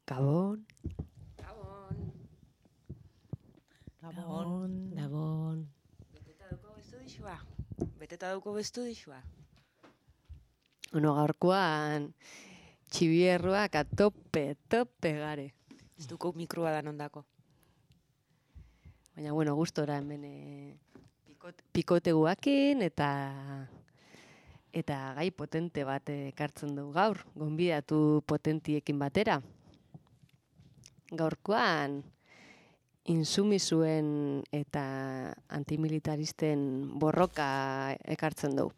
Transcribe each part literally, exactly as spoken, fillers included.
Gabon. Gabon. Gabon. Gabon. Beteta dauko bestu dixua. Beteta dauko bestu dixua. Bueno, gaurkoan txibierruak atope, tope gare. Ez duko mikroa da nondako. Baina, bueno, gustora hemen e, pikot, pikote guakin eta eta gai potente bat ekartzen dugu gaur. Gonbidatu potentiekin batera. Gaurkoan insumisuen eta antimilitaristen borroka ekartzen dugu.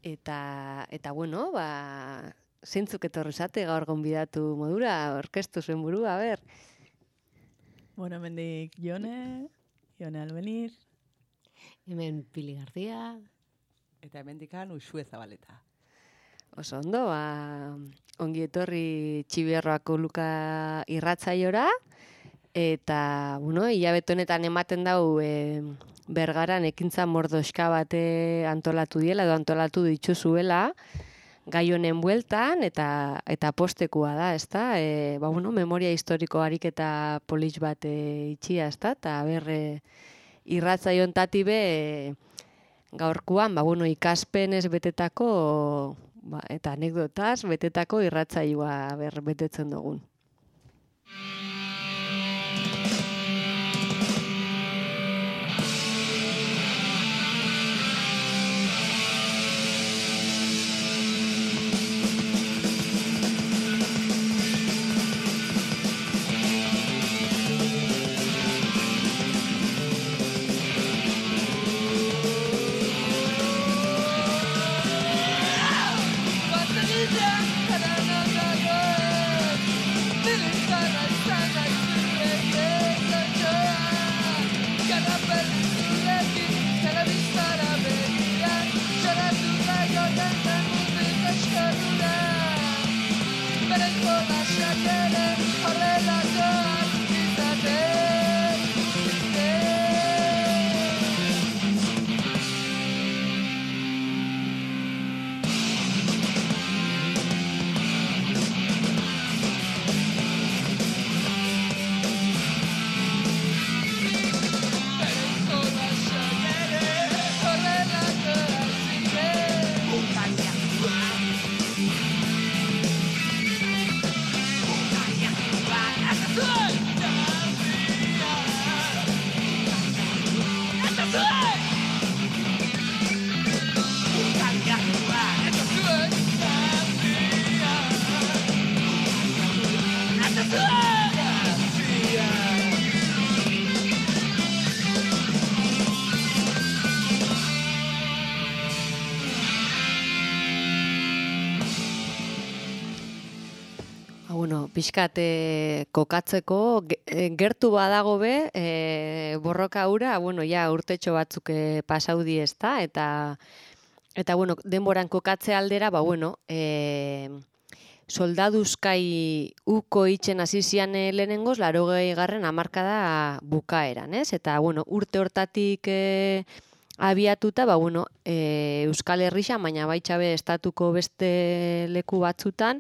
Eta, eta bueno, ba, zeintzuk etorri zate gaur gonbidatu modura, orkestu zuen burua, ber. Bueno, hemendik Jone, Jone Albenir. Hemen Pili García. Eta hemendikan Uxue Zabaleta. Oso ondo, ba, ongi etorri Txibierroako Luka irratzaiora, eta, bueno, hilabete honetan ematen dau e, Bergaran ekintza mordoxka bate antolatu diela, edo antolatu dituzuela, gai honen bueltan, eta eta postekua da, ezta? E, ba, bueno, memoria historiko ariketa polis bat e, itxia, ezta? Eta berre irratzaion tati be e, gaurkoan, ba, bueno, ikaspenez betetako ba, eta anekdotaz betetako irratzaioa ber betetzen dugun. Piskat e, kokatzeko, gertu badago be, e, borroka hura, bueno, ja urtetxo batzuk e, pasaudi ezta, eta, eta bueno, denboran kokatze aldera, ba, bueno, e, soldaduzkai uko itxen hasi zian lehenengoz, laurogei garren hamarkada bukaeran, ez? Eta, bueno, urte hortatik e, abiatuta, ba, bueno, e, Euskal Herrian, baina baitxabe estatuko beste leku batzutan,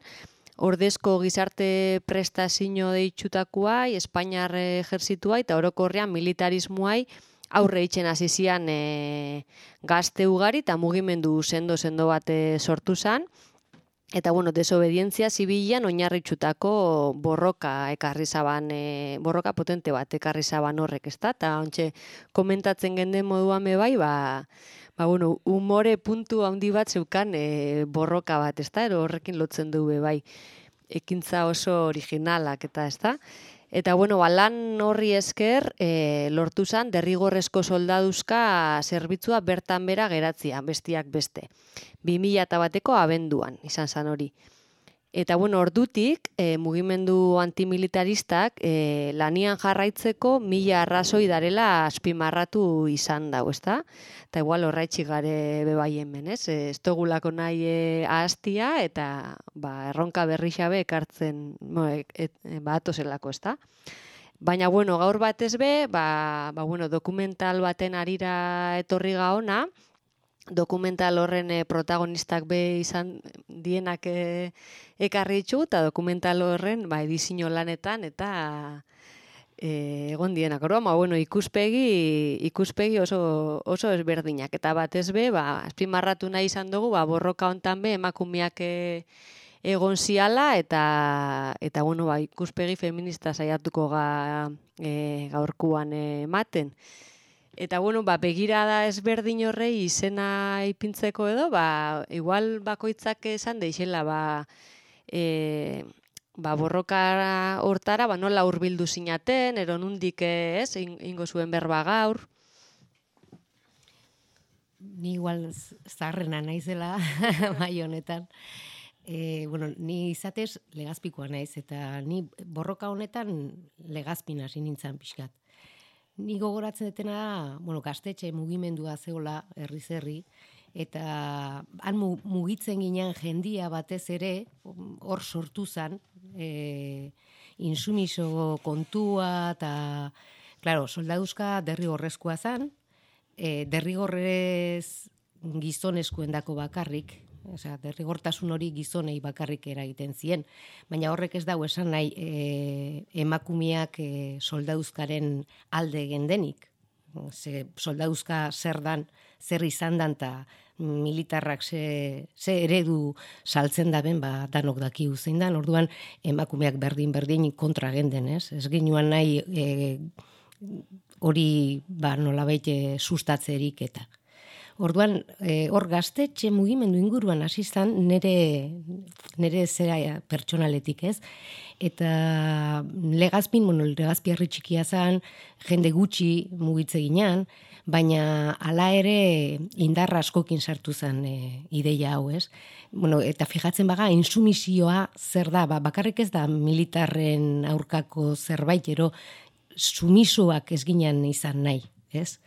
ordezko gizarte prestazio deitxutakuai, Espainiar ejerzituai eta orokorrean militarismoai aurre itxen hasi zian e, gazte ugari eta mugimendu sendo-sendo bat sortu zen. Eta, bueno, desobedientzia zibilan oinarritxutako borroka ekarri zaban, e, borroka potente bat ekarri zaban horrek, ezta? Eta ontxe komentatzen genden moduan be bai, ba, ba, bueno, umore puntu handi bat zeukan e, borroka bat, ezta? Ero horrekin lotzen du be bai, ekintza oso originalak, eta ezta? Eta, bueno, ba, lan horri esker e, lortu zen derrigorrezko soldaduzka zerbitzua bertan bera geratzia, bestiak beste. bi mila bateko abenduan izan zen hori. Eta, bueno, ordutik e, mugimendu antimilitaristak e, lanian jarraitzeko mila arrazoi darela azpimarratu izan dago, ezta? Eta igual horraitxik gare bebai hemen, ez? Ez dugulako nahi e, ahaztia eta ba, erronka berri xabe ekartzen no, e, e, ba, atozelako, ezta? Baina, bueno, gaur batez be, ba, ba, bueno, dokumental baten arira etorri gaona, dokumental horren eh, protagonistak be izan dienak eh, ekarri ditzu, eta dokumental horren ba, edizio lanetan, eta eh, egon dienak. Orduan, ba, bueno, ikuspegi, ikuspegi oso, oso ezberdinak. Eta batez be, ba, azpimarratu nahi izan dugu, ba, borroka hontan be, emakumeak eh, egon ziala, eta, eta bueno, ba, ikuspegi feminista saiatuko ga, e, gaurkuan eh, ematen. Eta bueno, ba, begirada ezberdin horrei izena ipintzeko edo, ba, igual bakoitzak esan deixela, ba, e, ba, borroka hortara, ba, nola hurbildu zinaten, ero nundik ez, ingo zuen berba gaur. Ni igual zaharrena naizela bai honetan. E, bueno, ni izatez legazpikoa naiz, eta ni borroka honetan legazpina hasi nintzen pixkat. Ni gogoratzen detena, bueno, gaztetxe mugimendua zeola herriz herri, eta han mugitzen ginen jendia batez ere, hor sortu zen, e, insumiso kontua, eta, claro, soldaduzka derrigorrezkoa zen, e, derrigorrez gizonezkoendako bakarrik, osea, derrigortasun hori gizonei bakarrik eragiten zien, baina horrek ez dago esan nahi e, emakumeak e, soldaduzkaren alde gendenik. Ze soldaduzka zer dan, zer izan dan, eta militarrak ze, ze eredu saltzen daben, ba, danok dakigu zein dan, orduan emakumeak berdin-berdin kontra genden, ez? Ez ginuan nahi e, hori ba, nolabait e, sustatzerik eta. Orduan, hor e, gaztetxe mugimendu inguruan hasi izan nere, nere zera pertsonaletik, ez? Eta legazpin, bueno, legazpiarri txikia zen, jende gutxi mugitze ginean, baina hala ere indarra askokin sartu zen e, ideia hau, ez? Bueno, eta fijatzen baga, insumisioa zer da, ba, bakarrik ez da militarren aurkako zerbait, ero sumisoak ez ginen izan nahi, ez?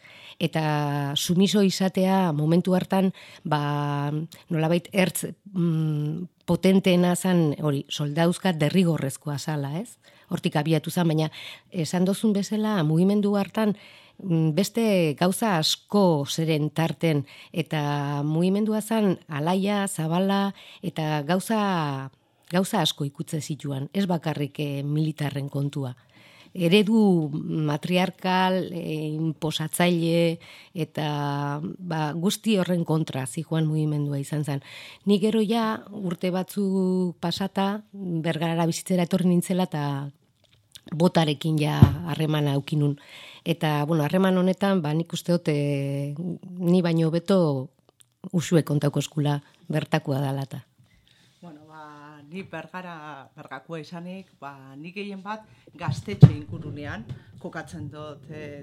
Eta sumiso izatea momentu hartan, ba, nolabait ertz mm, potenteena zen, hori, soldauzka derrigorrezkoa zala, ez? Hortik abiatu zen, baina esan dozun bezala, mugimendu hartan, beste gauza asko zeren tarten, eta mugimendua zen alaia, zabala, eta gauza, gauza asko ikutze zituan, ez bakarrik eh, militarren kontua. Eredu matriarkal, e, inposatzaile, eta ba, guzti horren kontra zijoan mugimendua izan zen. Ni gero ja urte batzu pasata, Bergarara bizitzera etorri nintzela, eta botarekin ja harremana aukinun. Eta, bueno, harreman honetan, ba, nik uste dut, e, ni baino beto usue kontauko eskula bertakoa dalata. Bueno, ba, ni bergara, bergakoa izanik, ba, nik gehien bat gaztetxe ingurunean kokatzen dut. E,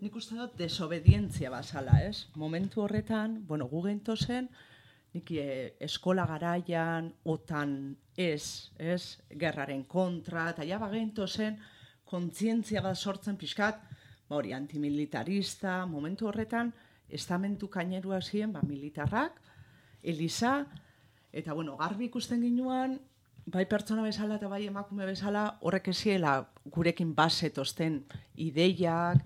nik uste dut desobedientzia bazala, ez? Momentu horretan, bueno, gu gento zen, nik e, eskola garaian, otan ez, ez, gerraren kontra, eta ja bagento zen, kontzientzia bat sortzen pixkat, ba hori, antimilitarista, momentu horretan, estamentu kainerua ziren, ba, militarrak, Eliza, eta bueno, garbi ikusten ginuan, bai pertsona bezala eta bai emakume bezala, horrek eziela gurekin basetozten ideiak,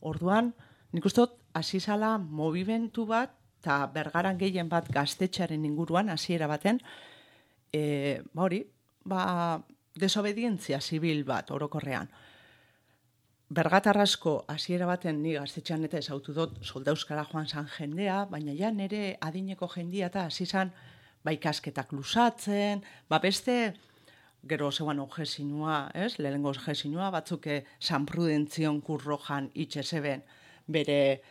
orduan, nik uste dut, hasi zala movimentu bat, eta Bergaran gehien bat gaztetxearen inguruan, hasiera baten, e, ba hori, ba, desobedientzia zibil bat, orokorrean. Bergatarrasko hasiera baten ni gaztetxean eta ezautu dut soldauskara joan zan jendea, baina ja nire adineko jendia eta hasi zan ba ikasketak lusatzen, ba beste gero zeuan objesinua, ez? Lehenengo objesinua batzuk San Prudentzion kurrojan itxezeben bere,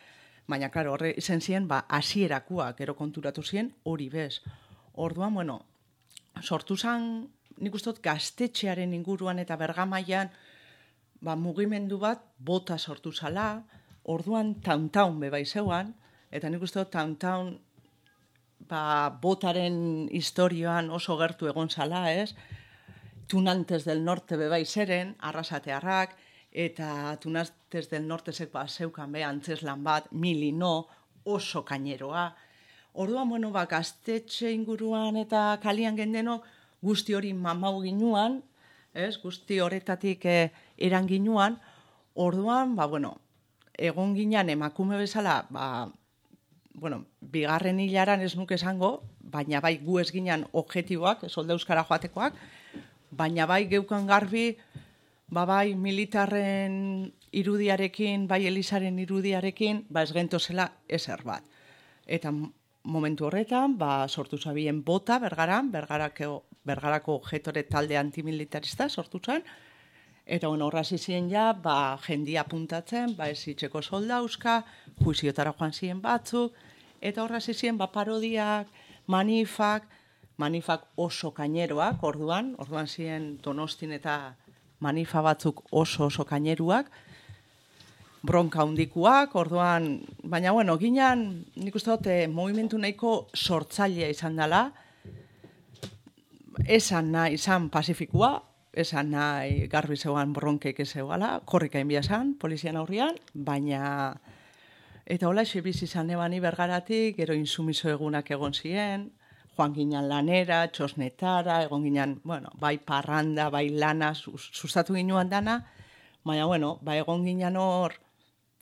baina klaro, horre izen ziren, ba hasierakoak gero konturatu ziren hori bez. Orduan, bueno, sortu zan, nik uste dut gaztetxearen inguruan eta Bergamaian ba, mugimendu bat bota sortu zala, orduan tauntaun bebai zeuan, eta nik uste dut tauntaun ba, botaren historioan oso gertu egon zala, ez? Tunantes del Norte bebai zeren, arrasatearrak, eta Tunantes del Nortezek ba, zeukan be, antzeslan bat, milino, oso kaineroa. Orduan, bueno, ba, gaztetxe inguruan eta kalian gendeno guzti hori mamau ginuan, ez? Guzti horretatik eh, eran ginuan, orduan, ba, bueno, egon ginean emakume bezala, ba, bueno, bigarren hilaran ez nuke esango, baina bai gu ez ginen objektiboak, solda euskara joatekoak, baina bai geukan garbi, ba bai militarren irudiarekin, bai Elizaren irudiarekin, ba ez gentozela ezer bat. Eta momentu horretan, ba sortu zabien bota Bergaran, Bergarako, Bergarako getore talde antimilitarista sortu zen, eta bueno, horra zizien ja, ba jendia puntatzen, ba ez itxeko soldauzka, juiziotara joan ziren batzuk, eta horra zizien, ba parodiak, manifak, manifak oso kaineroak, orduan, orduan ziren Donostin eta manifa batzuk oso oso kaineruak, bronka handikuak, orduan, baina bueno, ginen, nik uste dut, eh, movimentu nahiko sortzailea izan dela, esan nahi izan pasifikua, esan nahi garbi zeuan bronkeik ez zeuala, korrika inbia esan, polizian aurrian, baina, eta hola xe bizi izan ebani Bergaratik, gero insumiso egunak egon ziren, joan ginen lanera, txosnetara, egon ginen, bueno, bai parranda, bai lana, sustatu ginoan dana, baina, bueno, ba egon ginen hor,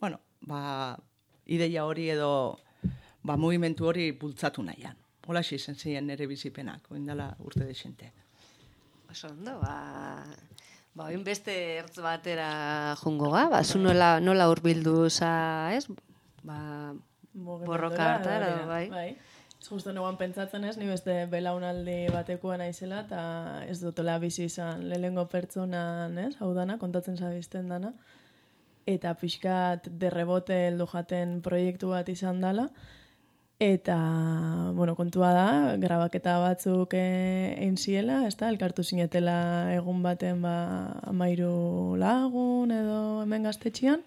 bueno, ba, ideia hori edo, ba, movimentu hori bultzatu nahian. Hola xe izan ziren nire bizipenak, oindala urte desente. Oso ondo, ba, ba, oin beste ertz batera jungo ga, ba, zu nola, nola urbildu za, ez? Ba, borroka hartara, bai. Bai. Ez justo neguan pentsatzen ez, ni beste belaunaldi batekoa naizela, eta ez dutela bizi izan lehengo pertsonan, ez? Hau dana, kontatzen zabizten dana. Eta pixkat derrebote heldu jaten proiektu bat izan dela. Eta, bueno, kontua da, grabaketa batzuk egin ziela, ez da, elkartu zinetela egun baten ba, amairu lagun edo hemen gaztetxian.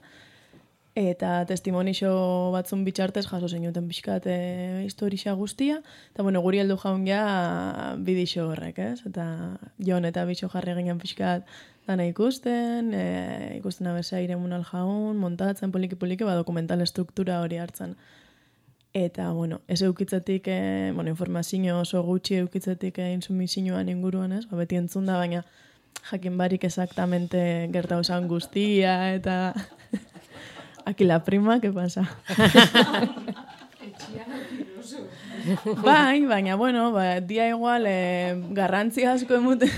Eta testimonixo batzun bitxartez jaso zenuten pixkat e, historia guztia. Eta, bueno, guri heldu jaun ja bidixo horrek, ez? Eta Jon eta bixo jarri ginen pixkat dana ikusten, e, ikusten abeza iremunal jaun, montatzen poliki-poliki, ba, dokumental estruktura hori hartzen. Eta, bueno, ez eukitzetik, e, bueno, informazio oso gutxi eukitzetik e, insumizioan inguruan, ez? Ba, beti entzun da, baina jakin barik exactamente gertau zan guztia, eta... Aquí la prima, ¿qué pasa? Bai, baina, bueno, ba, dia igual eh, garrantzi asko emuten...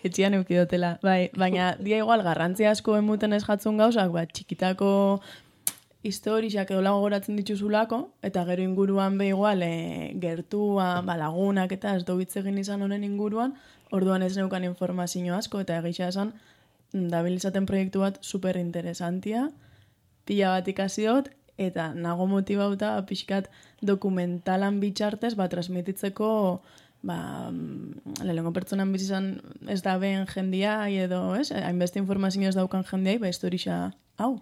Etxian eukidotela. Bai, baina dia igual garrantzi asko emuten ez jatzun gauzak, ba, txikitako historiak edo lago goratzen dituzulako, eta gero inguruan be igual e, gertua, ba, lagunak eta ez dobitz egin izan honen inguruan, orduan ez neukan informazio asko, eta egisa esan, dabilizaten proiektu bat super interesantia, pila bat ikasiot, eta nago motibauta pixkat dokumentalan bitxartez, ba, transmititzeko, ba, lehenko pertsonan bizizan ez da ben jendia, edo, ez, hainbeste informazio ez daukan jendiai, ba, historia hau.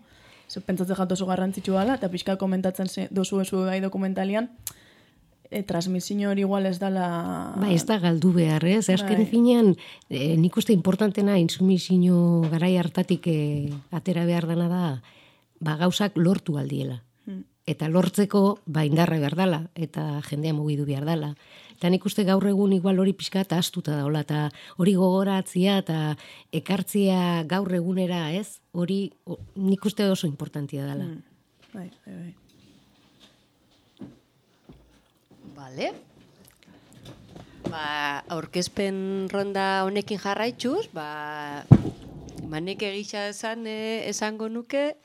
Zer pentsatzen jat oso garrantzitsu dela, eta pixkat komentatzen dozu ezu bai dokumentalian, e, transmisio hori igual ez dala... Ba, ez da galdu behar, ez? Azken finean, e, nik uste importantena insumizio garai hartatik e, atera behar dana da, ba, gauzak lortu aldiela. Hmm. Eta lortzeko, ba, indarra behar dala, eta jendea mugidu behar dala. Eta nik uste gaur egun igual hori pixka eta astuta daula, eta hori gogoratzia eta ekartzia gaur egunera, ez? Hori o, nik uste oso importantia dala. Hmm. Bai, bai, bai. Vale. Ba, aurkezpen ronda honekin jarraitxuz, ba, manek egisa esan, eh, esango nuke,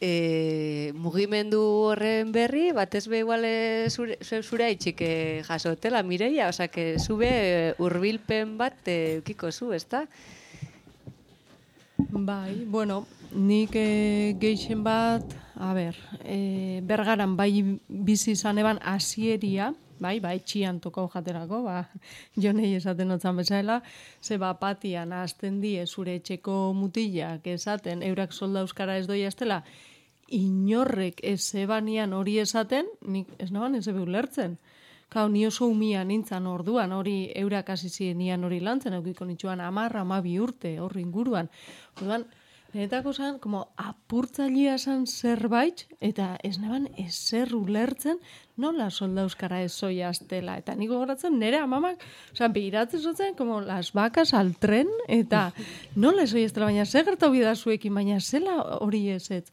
E, mugimendu horren berri, batez be igual zure, zure haitxik jasotela, Mireia, oza, que zube hurbilpen bat eukiko zu, ezta? Bai, bueno, nik e, geixen bat, a ber, e, Bergaran bai bizi izan eban hasieria, bai, bai, txian tokau jaterako, ba, jonei esaten otzan bezala, ze ba, patian azten die zure etxeko mutilak esaten, eurak solda euskara ez doia estela, inorrek ez ebanian hori esaten, nik ez naban ez ebe ulertzen. Kau, ni oso umia nintzan orduan, hori eurak hasi zienian hori lantzen, eukiko nitsuan amarra, amabi urte, horri inguruan. Orduan, niretako zan, como apurtzailea zan zerbait, eta ez naban ezer ulertzen, nola solda euskara ez zoia aztela. Eta niko goratzen, nire amamak, oza, behiratzen zotzen, como las vacas al tren, eta nola ez zoia aztela, baina ze gertau bidazuekin, baina zela hori ez ez.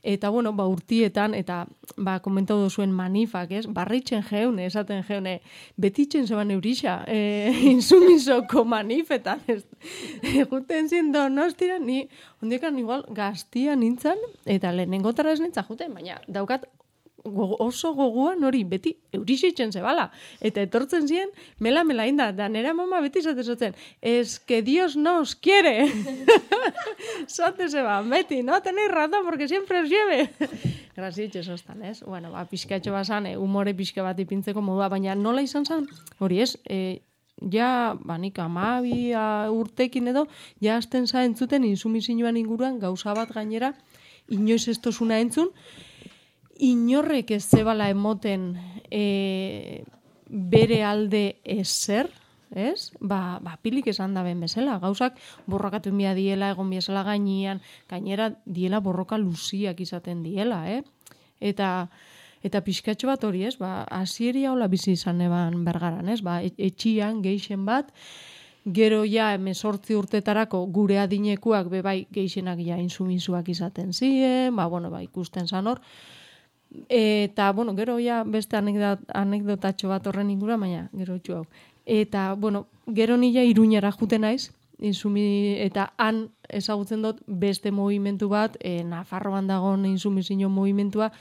Eta, bueno, ba, urtietan, eta, ba, komentau duzuen manifak, ez? Barritzen jeune, esaten jeune, betitzen zeban eurisa, e, insumizoko manifetan, ez? Juten zin Donostira, ni, ondiekan igual, gaztia nintzen, eta lehenengotara ez nintzen juten, baina daukat gogo, oso goguan hori, beti eurisitzen zebala. Eta etortzen ziren, mela mela inda, da nera mama beti zatezotzen, es que Dios nos quiere. Zate zeba, beti, no tenéis razón, porque siempre os lleve. Grasitxe sostan, ez? Bueno, ba, pixkatxo basan, humore pixka bat ipintzeko modua, baina nola izan zen, hori ez, e, ja, banik amabi urtekin edo, ja azten za entzuten insumizioan inguruan gauza bat gainera, inoiz ez tozuna entzun, inorrek ez zebala emoten e, bere alde ezer, ez? Ba, ba pilik esan da ben bezala, gauzak borrokatu inbia diela, egon biazela gainean, gainera diela borroka luziak izaten diela, eh? Eta eta pixkatxo bat hori, ez? Ba, hasieria hola bizi izan eban Bergaran, ez? Ba, etxian, geixen bat, gero ja hemezortzi urtetarako gure adinekuak bebai geixenak ja insumizuak izaten ziren, ba, bueno, ba, ikusten zan hor, eta, bueno, gero ja beste anekdot, anekdotatxo bat horren ingura, baina gero txu hau. Eta, bueno, gero nila Iruñara juten naiz, insumi, eta han ezagutzen dut beste movimentu bat, e, Nafarroan dagoen insumizio movimentua,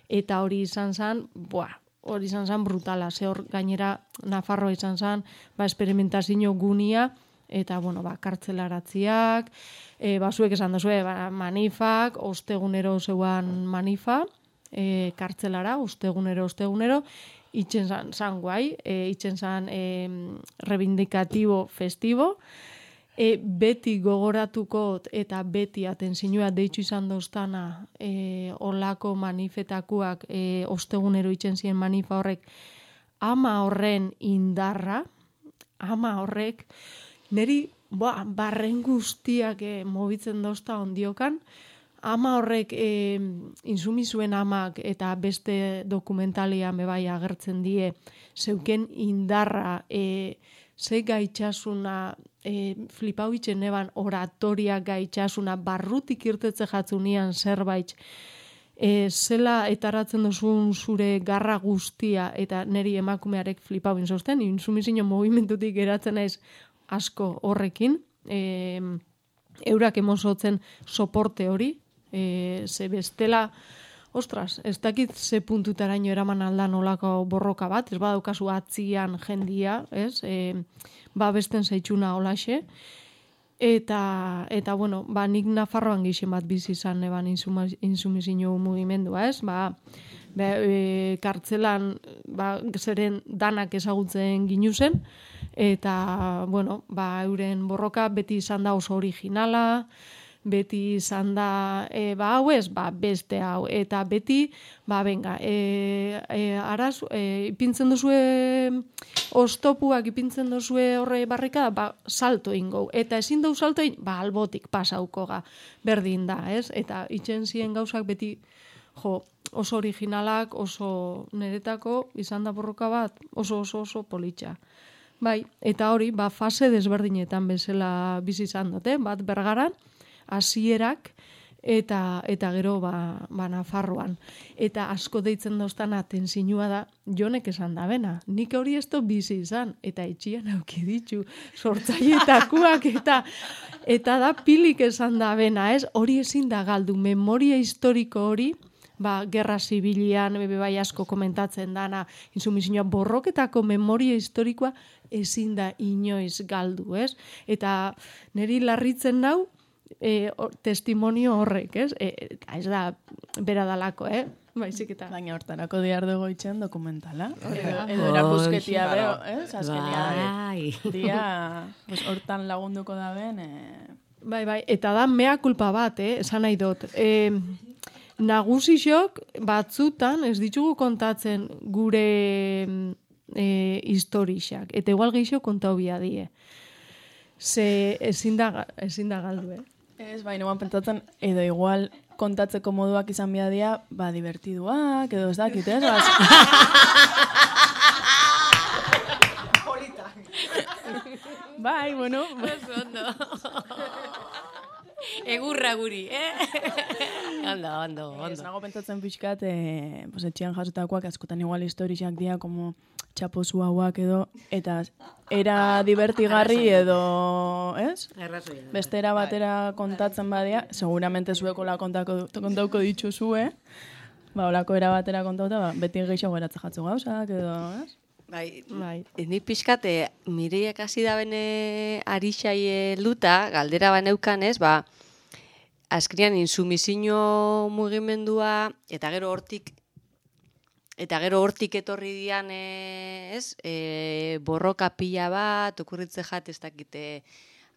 eta hori izan zen, buah, hori izan zen brutala, ze hor gainera Nafarroa izan zen, ba, esperimentazio gunia, eta, bueno, ba, kartzelaratziak, e, ba, zuek esan duzue, ba, manifak, ostegunero zeuan manifa, E, kartzelara, ostegunero, ostegunero, itzen zan, zan guai, e, itzen zan e, rebindikatibo festibo, e, beti gogoratuko eta beti atenzinua deitzu izan doztana e, olako manifetakuak e, ostegunero itzen ziren manifa horrek, ama horren indarra, ama horrek, neri ba, barren guztiak e, mobitzen dozta ondiokan, ama horrek e, insumizuen amak eta beste dokumentalian bebai agertzen die zeuken indarra, e, ze gaitxasuna, e, flipau itxen eban oratoria gaitxasuna, barrutik irtetze jatzunian zerbait, e, zela etaratzen duzun zure garra guztia eta neri emakumearek flipau inzosten, insumizio movimentutik geratzen naiz asko horrekin, e, eurak emozotzen soporte hori, E, ze bestela, ostras, ez dakit ze puntutaraino eraman aldan olako borroka bat, ez badaukazu atzian jendia, ez, e, ba besten zaitxuna olaxe, eta, eta bueno, ba nik Nafarroan gixen bat bizi izan eban insumizio mugimendua, ez, ba, be, e, kartzelan, ba, zeren danak ezagutzen ginuzen, eta, bueno, ba, euren borroka beti izan da oso originala, beti izan da, e, ba, hau ez, ba, beste hau, eta beti, ba, benga, e, e, araz, e, ipintzen duzue ostopuak, ipintzen duzue horre barrika, ba, salto ingo, eta ezin dau salto in, ba, albotik pasauko ga, berdin da, ez? Eta itxen ziren gauzak beti, jo, oso originalak, oso niretako, izan da borroka bat, oso oso oso politxa. Bai, eta hori, ba, fase desberdinetan bezala bizi izan dute, bat Bergaran, hasierak eta eta gero ba, ba Nafarroan. Eta asko deitzen doztan atenzinua da, jonek esan da bena. Nik hori ez dut bizi izan, eta etxian auki ditu, sortzaietakuak, eta eta da pilik esan da bena, ez? Hori ezin da galdu, memoria historiko hori, ba, gerra zibilian, bebe bai asko komentatzen dana, insumizioa borroketako memoria historikoa ezin da inoiz galdu, ez? Eta niri larritzen nau, E, or, testimonio horrek, ez? E, ez da, bera dalako, eh? Baizik eta. Baina hortarako diar dugu itxen dokumentala. Edo, edo erakusketia beho, ez? Azkenia, dia, pues, hortan lagunduko da ben. E... Bai, bai, eta da mea kulpa bat, eh? Esan nahi dut. E, nagusixok batzutan, ez ditugu kontatzen gure e, historixak. Eta igual gehiago kontau bia die. Ze ezin da, ezin da galdu, eh? Ez, baina guan pentsatzen, edo igual kontatzeko moduak izan biadia, ba, divertiduak, edo ez dakit, ez? Bai, bueno. Egurra guri, eh? Ondo, ondo, Ez ondo. nago pentsatzen pixkat, eh, pues, etxean jasotakoak askotan igual historiak dira, como txapozu hauak edo, eta era divertigarri edo, ez? Arrazoia. Beste era batera kontatzen badia, seguramente zuekola kontako, kontauko dituzue, ba, olako era batera kontauta, ba, beti gehiago geratzen jatzu gauzak edo, ez? Bai, Bai. ni pixkate, mireiak hasi da bene arixai luta, galdera baneukan ez, ba, azkrian insumizio mugimendua, eta gero hortik, eta gero hortik etorri dian, e, ez, e, borroka pila bat, okurritze jat, ez dakite,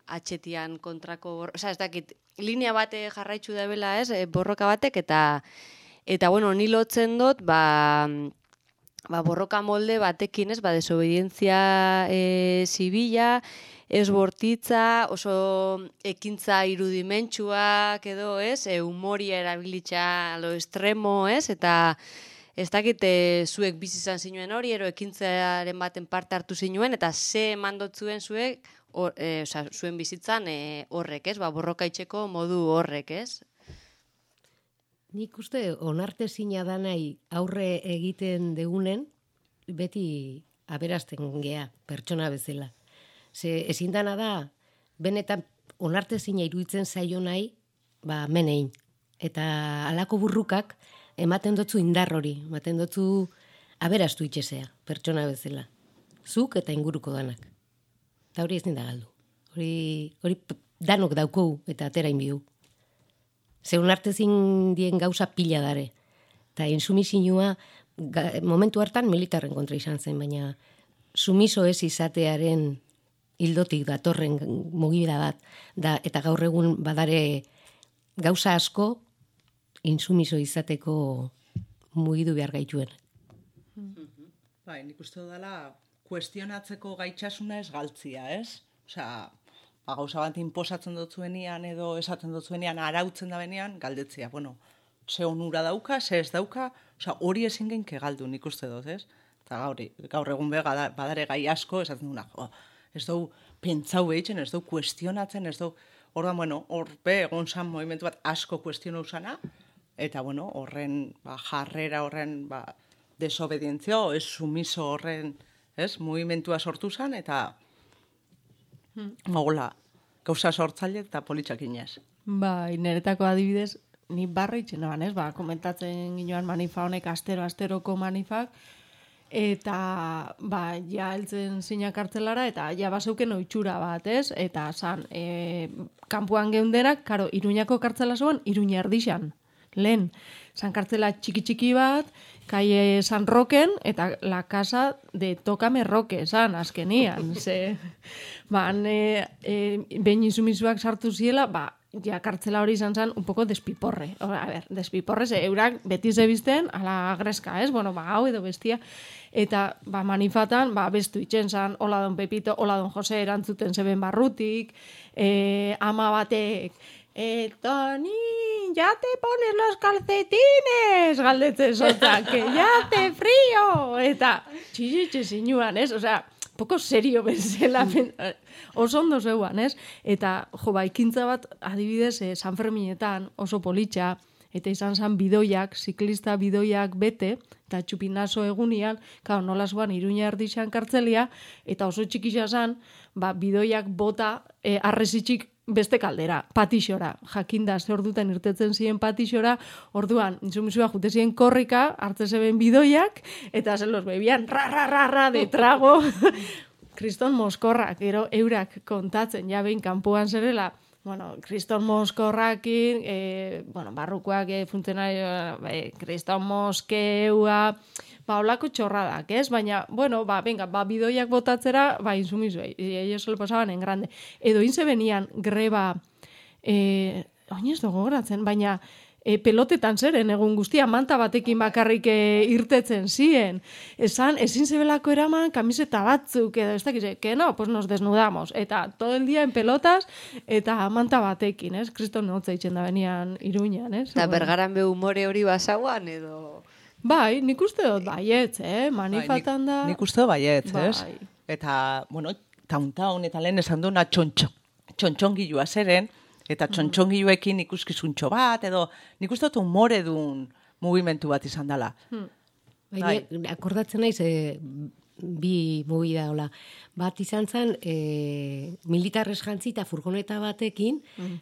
atxetian kontrako, bor... Osa, ez dakit, linea bate jarraitzu da bela, ez, e, borroka batek, eta, eta bueno, ni lotzen dut, ba, ba, borroka molde batekin, ez, ba, desobedientzia e, zibila, ez bortitza, oso ekintza irudimentsuak edo, ez, e, humoria erabilitza lo estremo, ez, eta ez dakit e, zuek bizi izan zinuen hori, ero ekintzaren baten parte hartu zinuen, eta ze emandotzuen zuek, or, e, oza, zuen bizitzan e, horrek, ez, ba, borroka itxeko modu horrek, ez? Nik uste onartezina da nahi aurre egiten degunen, beti aberazten gea, pertsona bezala. Ze ezin dana da, benetan onartezina iruditzen zaio nahi, ba, menein. Eta halako burrukak ematen dotzu indar hori, ematen dotzu aberastu itxesea, pertsona bezala. Zuk eta inguruko danak. Eta hori ezin da galdu. Hori, hori danok daukou eta atera inbiu. Zeun artezin dien gauza pila dare. Eta insumisinua, momentu hartan militarren kontra izan zen, baina sumiso ez izatearen hildotik datorren mugida bat, da, eta gaur egun badare gauza asko insumiso izateko mugidu behar gaituen. Bai, nik uste dudala, kuestionatzeko gaitxasuna ez galtzia, ez? Osea, ba, gauza bat inposatzen dutzuenian edo esaten dutzuenian arautzen da benean, galdetzia, bueno, ze onura dauka, ze ez dauka, osea, hori ezin genke galdu nik uste dut, ez? Eta gaur, gaur egun be, badare gai asko, esaten duna, jo, ez dugu pentsau behitzen, ez dugu kuestionatzen, ez dugu, orduan, bueno, hor be, egon zan movimentu bat asko kuestionau zana, eta, bueno, horren, ba, jarrera horren, ba, desobedientzia, ez sumiso horren, ez, movimentua sortu zan, eta, Hola, gauza sortzaile eta politxakinez. Bai, niretako adibidez, ni barra itxen naban, ez? Ba, komentatzen ginoan manifa honek astero, asteroko manifak, eta, ba, ja heltzen zina kartzelara, eta ja baseuken oitxura bat, ez? Eta, zan, e, kanpuan geundenak, karo, Iruñako kartzela zuen, Iruña erdixan. Lehen, zan kartzela txiki-txiki bat, kaie San Roken, eta la casa de Tócame Roque, zan, azkenian. Ze, ba, e, e, behin insumizuak sartu ziela, ba, ja kartzela hori izan zen un poco despiporre. O, a ber, despiporre, ze eurak beti zebizten, ala greska, ez? Bueno, ba, hau edo bestia. Eta, ba, manifatan, ba, bestu itxen zan, hola don Pepito, hola don Jose erantzuten zeben barrutik, e, ama batek, Eh, Toni, ya te pones los calcetines, galdetzen zota, que ya hace frío, eta txixitxe zinuan, ez? Osea, poco serio bezala, oso ondo zeuan, ez? Eta, jo, ba, ekintza bat, adibidez, eh, San Ferminetan oso politxa, eta izan zan bidoiak, ziklista bidoiak bete, eta txupinazo egunian, kao, nola zuan Iruña erdixan kartzelia, eta oso txikisa zan, ba, bidoiak bota eh, arrezitxik beste kaldera, patixora. Jakinda, ze ordutan irtetzen ziren patixora, orduan, insumizua jute ziren korrika, hartze zeben bidoiak, eta zen los bebian, ra, ra, ra, ra, de trago. Kriston moskorrak, gero eurak kontatzen, ja behin kanpoan zerela, bueno, Kriston moskorrakin, eh, bueno, barrukoak, eh, funtzionario, eh, Kriston moskeua, ba, holako txorradak, ez? Baina, bueno, ba, venga, ba, bidoiak botatzera, ba, insumizuei, ellos se lo pasaban en grande. Edo inze benian greba, eh, oin ez dugu goratzen, baina e, pelotetan zeren, egun guztia, manta batekin bakarrik e, irtetzen ziren. Esan, ezin zebelako eraman kamiseta batzuk, edo ez dakize, que no, pues nos desnudamos. Eta todo el día en pelotas, eta manta batekin, ez? Kriston notza itxen da benian Iruñan, ez? Eta bergaran be humore hori basauan, edo... Bai, nik uste dut baietz, eh? Manifatan da... Bai, nik, nik uste dut baietz, bai. ez? Eta, bueno, taun-taun eta lehen esan duena txontxon, txontxongilua zeren, Eta txontxongiluekin ikuskizuntxo bat, edo nik uste dut umore duen mugimendu bat izan dela. Bai, akordatzen naiz, e, bi movida hola. Bat izan zen, e, militarrez jantzi eta furgoneta batekin,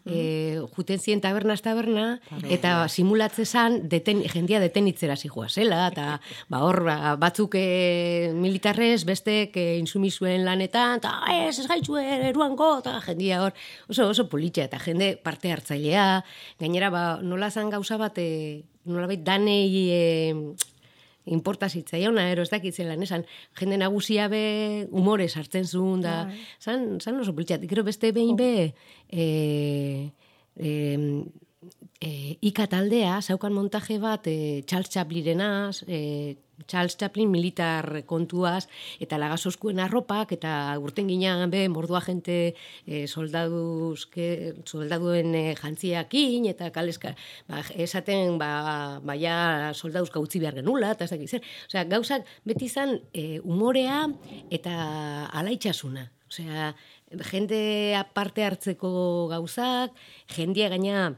e, juten ziren tabernaz taberna, eta simulatze zan, deten, jendia detenitzera zihua zela, eta ba, hor ba, batzuk e, militarrez, bestek e, insumizuen lanetan, eta ez, ez gaitzuen, eruango, eta jendia hor, oso, oso politxea, eta jende parte hartzailea, gainera, ba, nola zan gauza bat, e, nolabait danei... E, inporta zitzaiona, ero ez dakitzen lan, esan, jende nagusia be humore sartzen zuen, da, zan, zan oso politxat, gero beste behin be, e, e, e, ika taldea, zaukan montaje bat, e, Charles Chaplinenaz, e, Charles Chaplin militar kontuaz, eta lagasoskuen arropak, eta urten ginean be, mordua jente e, soldaduzke, soldaduen e, jantziakin, eta kaleska, ba, esaten, ba, baia soldaduzka utzi behar genula, eta ez dakit zer. Osea, gauzak beti izan e, umorea eta alaitxasuna. Osea, jende aparte hartzeko gauzak, jendia gaina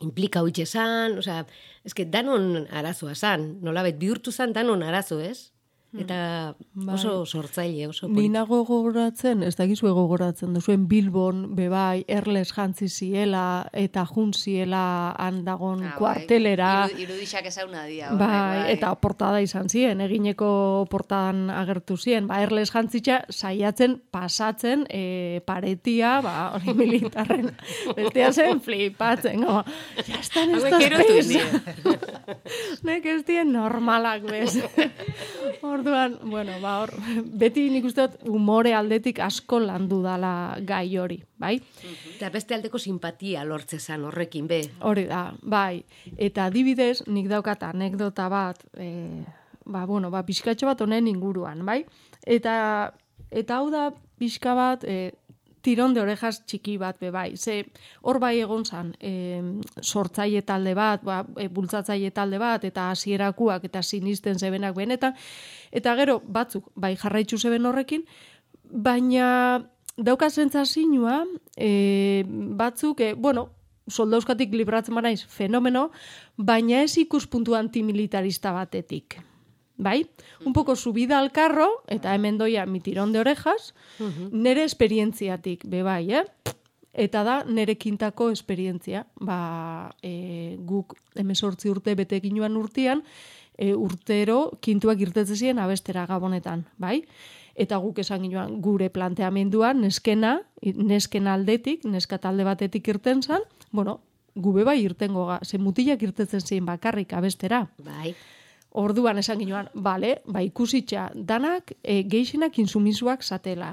implika hoitxe zan, osea, eske danon arazoa zan, nolabet bihurtu zan danon arazo, ez? Eta oso sortzaile, oso Ni nago gogoratzen, ez dakizu gogoratzen duzuen Bilbon, bebai, erles jantzi ziela, eta jun ziela handagon Ah, kuartelera. Bai. Iru, irudixak ezauna dia. Bai, bai. eta portada izan ziren, egineko portadan agertu ziren. Ba, erles jantzitza saiatzen, pasatzen, e, paretia, ba, hori militarren, bestea zen flipatzen, go, ya están estos pes. Nek ez dien normalak, bez. Orduan, bueno, ba, hor, beti nik uste dut umore aldetik asko landu dala gai hori, bai? Eta beste aldeko simpatia lortze zan horrekin, be. Hori da, bai. Eta adibidez, nik daukat anekdota bat, e, ba, bueno, ba, pixkatxo bat honen inguruan, bai? Eta, eta hau da pixka bat, e, tiron de orejas txiki bat, be, bai. Ze, hor bai egon zan, e, sortzaile talde bat, ba, e, bultzatzaile talde bat, eta hasierakuak eta sinisten zebenak benetan, eta gero, batzuk, bai jarraitzu zeben horrekin, baina dauka sentsazioa, e, batzuk, e, bueno, soldauskatik libratzen banaiz fenomeno, baina ez ikuspuntu antimilitarista batetik. Bai? Un poco subida al carro, eta hemen doia mi tirón de orejas, nere esperientziatik, be bai, eh? Eta da, nere kintako esperientzia. Ba, e, guk hemezortzi urte betekinuan urtean, e, urtero kintuak irtetzen ziren abestera Gabonetan, bai? Eta guk esan ginoan gure planteamenduan, neskena, nesken aldetik, neska talde batetik irten zan, bueno, gube bai irtengo ga, ze mutilak irtetzen ziren bakarrik abestera. Bai. Orduan esan ginoan, bale, ba ikusitxa, danak e, geixenak insumizuak zatela.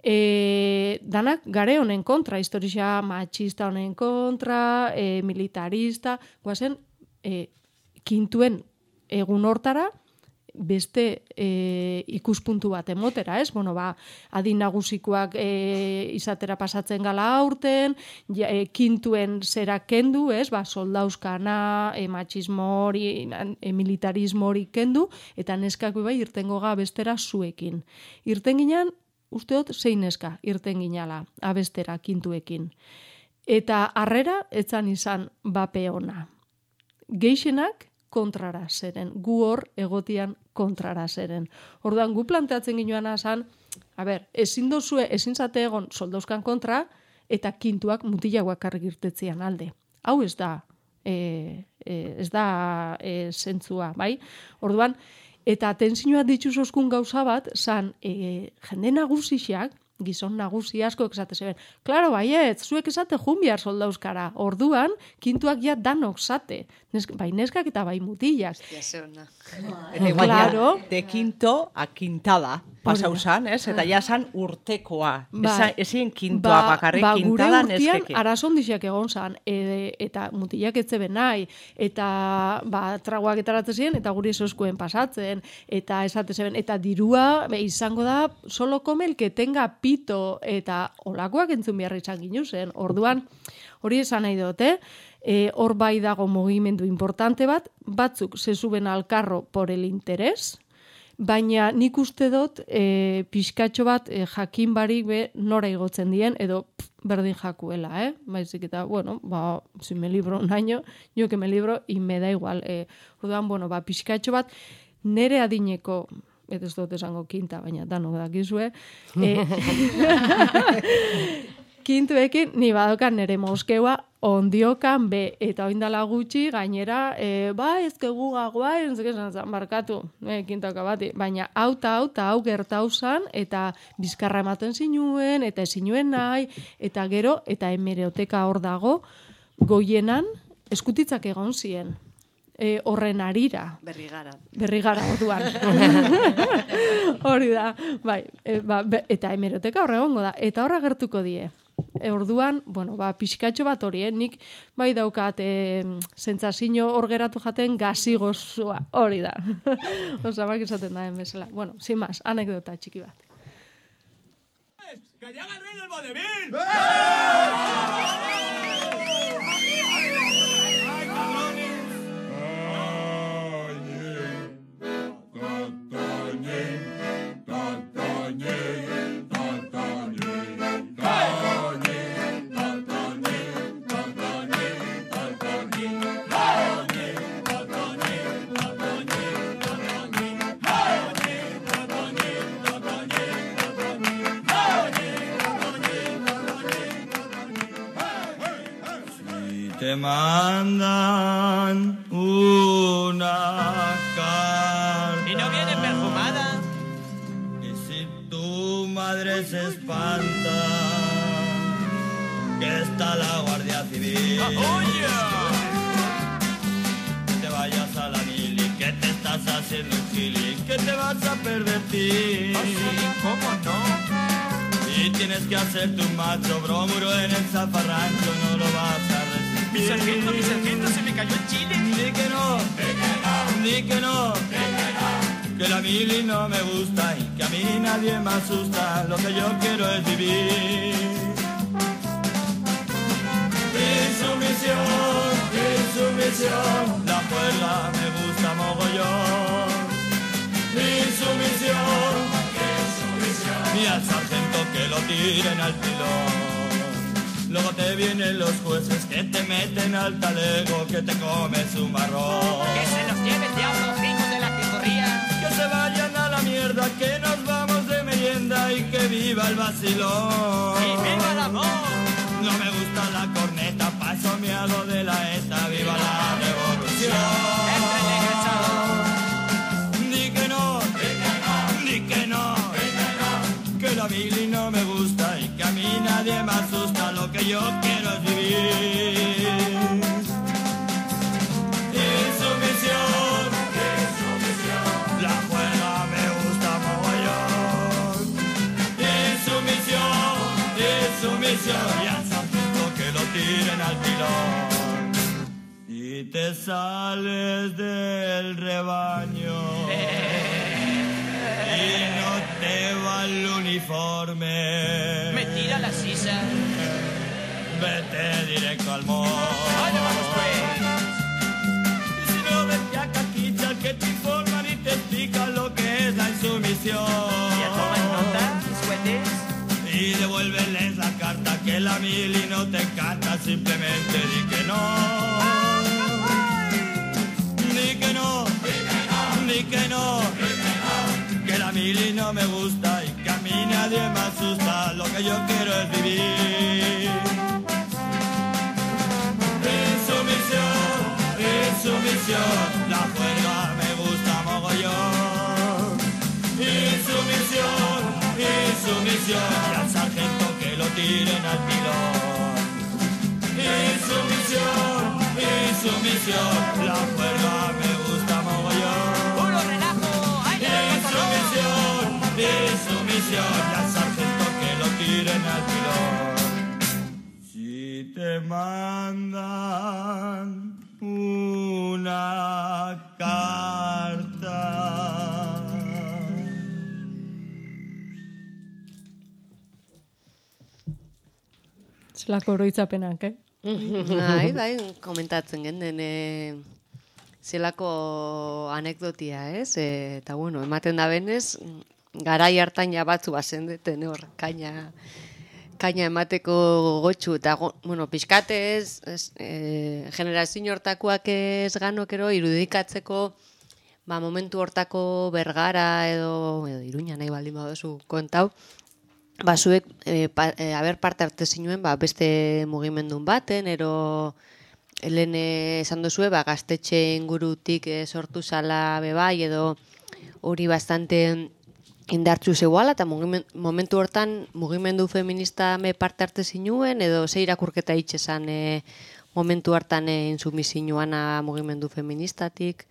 E, danak gare honen kontra, historia machista honen kontra, e, militarista, guazen, e, kintuen egun hortara, beste e, ikuspuntu bat emotera, ez? Bueno, ba, adin nagusikoak e, izatera pasatzen gala aurten, ja, e, kintuen zera kendu, ez? Ba, soldauskana, e, machismo hori, e, militarismo hori kendu, eta neskak bai irtengo ga bestera zuekin. Irten ginean, uste dut zein neska irten ginala, abestera kintuekin. Eta harrera, etzan izan bape ona. Geixenak, kontrara zeren, gu hor egotian kontrara zeren. Orduan, gu planteatzen ginoan azan, a ber, ezin dozue, ezin zate egon soldauzkan kontra, eta kintuak mutilak bakarrik irtetzean alde. Hau ez da, e, e, ez da e, zentzua, bai? Orduan, eta tensioa dituzozkun gauza bat, zan, e, jende nagusixak, gizon nagusi asko esate zeben. Klaro, baiet, zuek esate jun bihar soldauzkara. Orduan, kintuak ja danok zate. Nesk, bai neskak eta bai mutilak. Hostia, ze ona. Eta igual, Claro. de quinto a quintada pasau zan, ez? Eta ja zan urtekoa. Bai. Ezin kintoa bakarrik, ba, kintada gure urtean neskeke. arazondixak egon zan, e, eta mutilak etzeben nahi, eta ba, tragoak etaratzen ziren, eta guri esoskuen pasatzen, eta esate zeben, eta dirua be, izango da, solo come el que tenga pito, eta olakoak entzun behar izan ginu zen. Orduan, hori esan nahi dut, eh? E, hor bai dago mugimendu importante bat, batzuk se suben al carro por el interés, baina nik uste dut e, pixkatxo bat e, jakin barik be nora igotzen dien, edo pff, berdin jakuela, eh? Baizik eta, bueno, ba, si me libro un año, yo que me libro, y me da igual. E, orduan, bueno, ba, pixkatxo bat, nere adineko, eta ez dut esango kinta, baina danok dakizue, e, kintuekin, ni badokan nere moskeua ondiokan be, eta oindala gutxi, gainera, e, ba, ezkegu gagoa, entzeke esan markatu, e, kintaka bati, baina hau eta hau eta hau gertau zan, eta bizkarra ematen zinuen, eta ezinuen nahi, eta gero, eta hemeroteka hor dago, goienan, eskutitzak egon ziren. E, horren arira. Berri gara. Berri gara orduan. Hori da, bai, e, ba, be, eta hemeroteka horre egongo da, eta horra gertuko die. E, orduan, bueno, ba, pixkatxo bat hori, eh? Nik bai daukat e, sentsazio hor geratu jaten gazi gozua, hori da. Osa, bak esaten da, bezala. Bueno, sin más, anekdota txiki bat. ¡Que llega el rey del vodevil! Te mandan una carta. ¿Y no viene perfumada? Y si tu madre se espanta, que está la Guardia Civil. ¡Oye! Que te vayas a la mili, que te estás haciendo un gili, que te vas a pervertir. ¿Ah, sí? ¿Cómo no? Y tienes que hacerte un macho bromuro en el zafarrancho, no lo vas a resistir. Mi sargento, mi sargento, se me cayó el chile. Di que no, di que no, que la mili no me gusta y que a mí nadie me asusta. Lo que yo quiero es vivir. Mi sumisión, mi sumisión, la juerga me gusta mogollón. Mi sumisión, mi sumisión, y al sargento que lo tiren al pilón. Luego te vienen los jueces que te meten al talego, que te comes un marrón. Que se los lleve el diablo, hijos de la jijorría. Que se vayan a la mierda, que nos vamos de merienda y que viva el vacilón. ¡Y viva el amor! No me gusta la corneta, paso me hago de la ETA, viva la revolución. Di que no, di que no, que la mili no me gusta y que a mí nadie me asusta. Lo que yo quiero es vivir. Insumisión, insumisión, la juerga me gusta mogollón. Insumisión, insumisión, y al sargento que lo tiren al pilón. Y te sales del rebaño y no te va el uniforme. Me tira la sisa. Vete directo al mall. ¡Vaya, vamos pues! Y si no, vete a Caquicha, que te informan y te explican lo que es la insumisión. ¿Ya toman nota, suetes? Y devuélveles la carta, que la mili no te encanta, simplemente di que no. Di que no, di que no, que la mili no me gusta y que a mí nadie me asusta. Lo que yo quiero es vivir. Insumisión, insumisión, la juerga me gusta mogollón. Insumisión, insumisión, y al sargento que lo tiren al pilón. Insumisión, insumisión, la juerga me gusta mogollón. ¡Puro relajo! ¡Ay, ay, Insumisión, insumisión, y al sargento que lo tiren al pilón. Si te mandan una carta. Zelako oroitzapenak, eh? Bai, bai, komentatzen genden, e, zelako anekdotia, ez? E, eta bueno, ematen da benez, garai hartan ja batzu bazendeten hor, kaina, kaina emateko gotxu, eta go, bueno, pixkatez, e, generazio hortakoak ez ganokero irudikatzeko, ba, momentu hortako Bergara edo, edo Iruña nahi baldin baduzu kontau, ba, zuek, e, pa, e, haber parte arte zinuen, ba, beste mugimendun baten, ero helen esan duzue, ba, gaztetxe ingurutik e, sortu zala bebai, edo hori bastante indartzu zeuala, eta mugimen, momentu hortan mugimendu feminista me parte arte zinuen, edo ze irakurketa itxesan e, momentu hartan e, insumisioana mugimendu feministatik?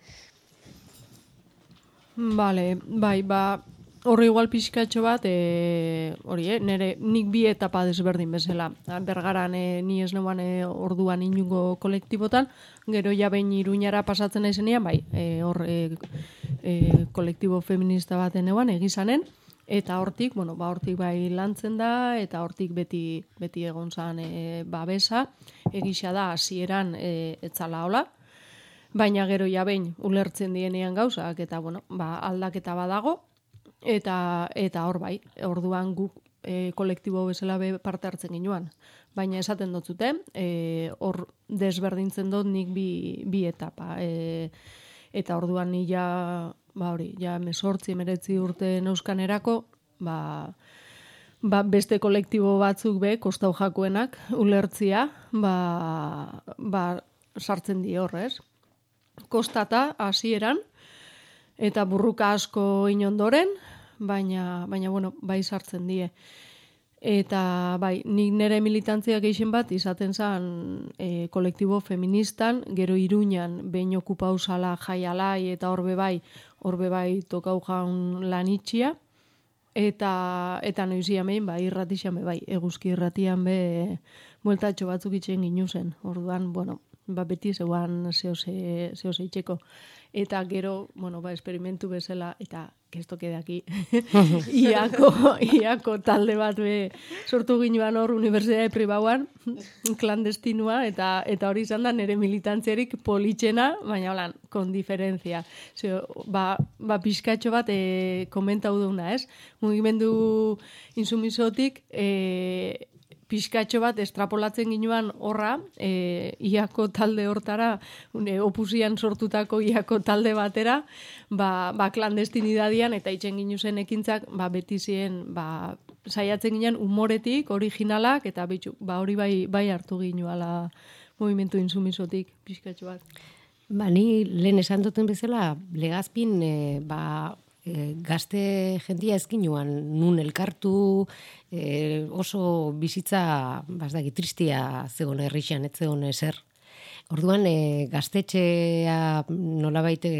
Vale, bai, ba, horri igual pixkatxo bat, e, hori, eh, nire, nik bi etapa desberdin bezala. Bergaran e, ni ez neuan e, orduan inungo kolektibotan, gero ja behin Iruñara pasatzen naizenean, bai, e, hor e, e, kolektibo feminista baten neuan, egizanen, eta hortik, bueno, ba, hortik bai lantzen da, eta hortik beti, beti egon zan e, babesa, egisa da hasieran e, etzala hola, baina gero ja behin ulertzen dienean gauzak, eta bueno, ba, aldaketa badago, eta eta hor bai, orduan guk e, kolektibo bezala be parte hartzen ginuan. Baina esaten dut zuten, e, hor desberdintzen dut nik bi, bi etapa. E, eta orduan ni ja, ba hori, ja mesortzi, emeretzi urte neuzkanerako, ba, ba beste kolektibo batzuk be, kostau jakoenak, ulertzia, ba, ba sartzen di hor, ez? Kostata hasieran eta burruka asko inondoren, baina baina bueno, bai sartzen die. Eta bai, nik nire militantzia gehien bat izaten zen e, kolektibo feministan, gero Iruñan behin okupau zala jaialai eta horbe bai, horbe bai tokau jaun lan itxia, eta eta noizia behin bai irratixan be bai, eguzki irratian be bueltatxo batzuk itxen ginu zen. Orduan, bueno, ba beti zeuan zehose, zehose itxeko. Eta gero, bueno, ba, esperimentu bezala, eta que esto quede aquí, iako, iako talde bat be sortu ginuan hor unibertsitate pribauan, klandestinua, eta eta hori izan da nire militantziarik politxena, baina holan, kon diferentzia. Zeo, ba, ba pixkatxo bat e, komentau duna, ez? Mugimendu insumisotik, e, pixkatxo bat estrapolatzen ginuan horra, e, iako talde hortara, une, opusian sortutako iako talde batera, ba, ba klandestinidadian eta itxen ginu zen ekintzak, ba, beti ziren, ba, saiatzen ginen umoretik, originalak, eta bitxu, ba, hori bai, bai hartu ginuala movimentu insumisotik, pixkatxo bat. Ba, ni lehen esan duten bezala, Legazpin, e, ba, e, gazte jendia ezkinuan, nun elkartu, e, oso bizitza, bazdaki, tristia zegoen herrixan, ez zegoen ezer. Orduan, e, gaztetxea nolabait e,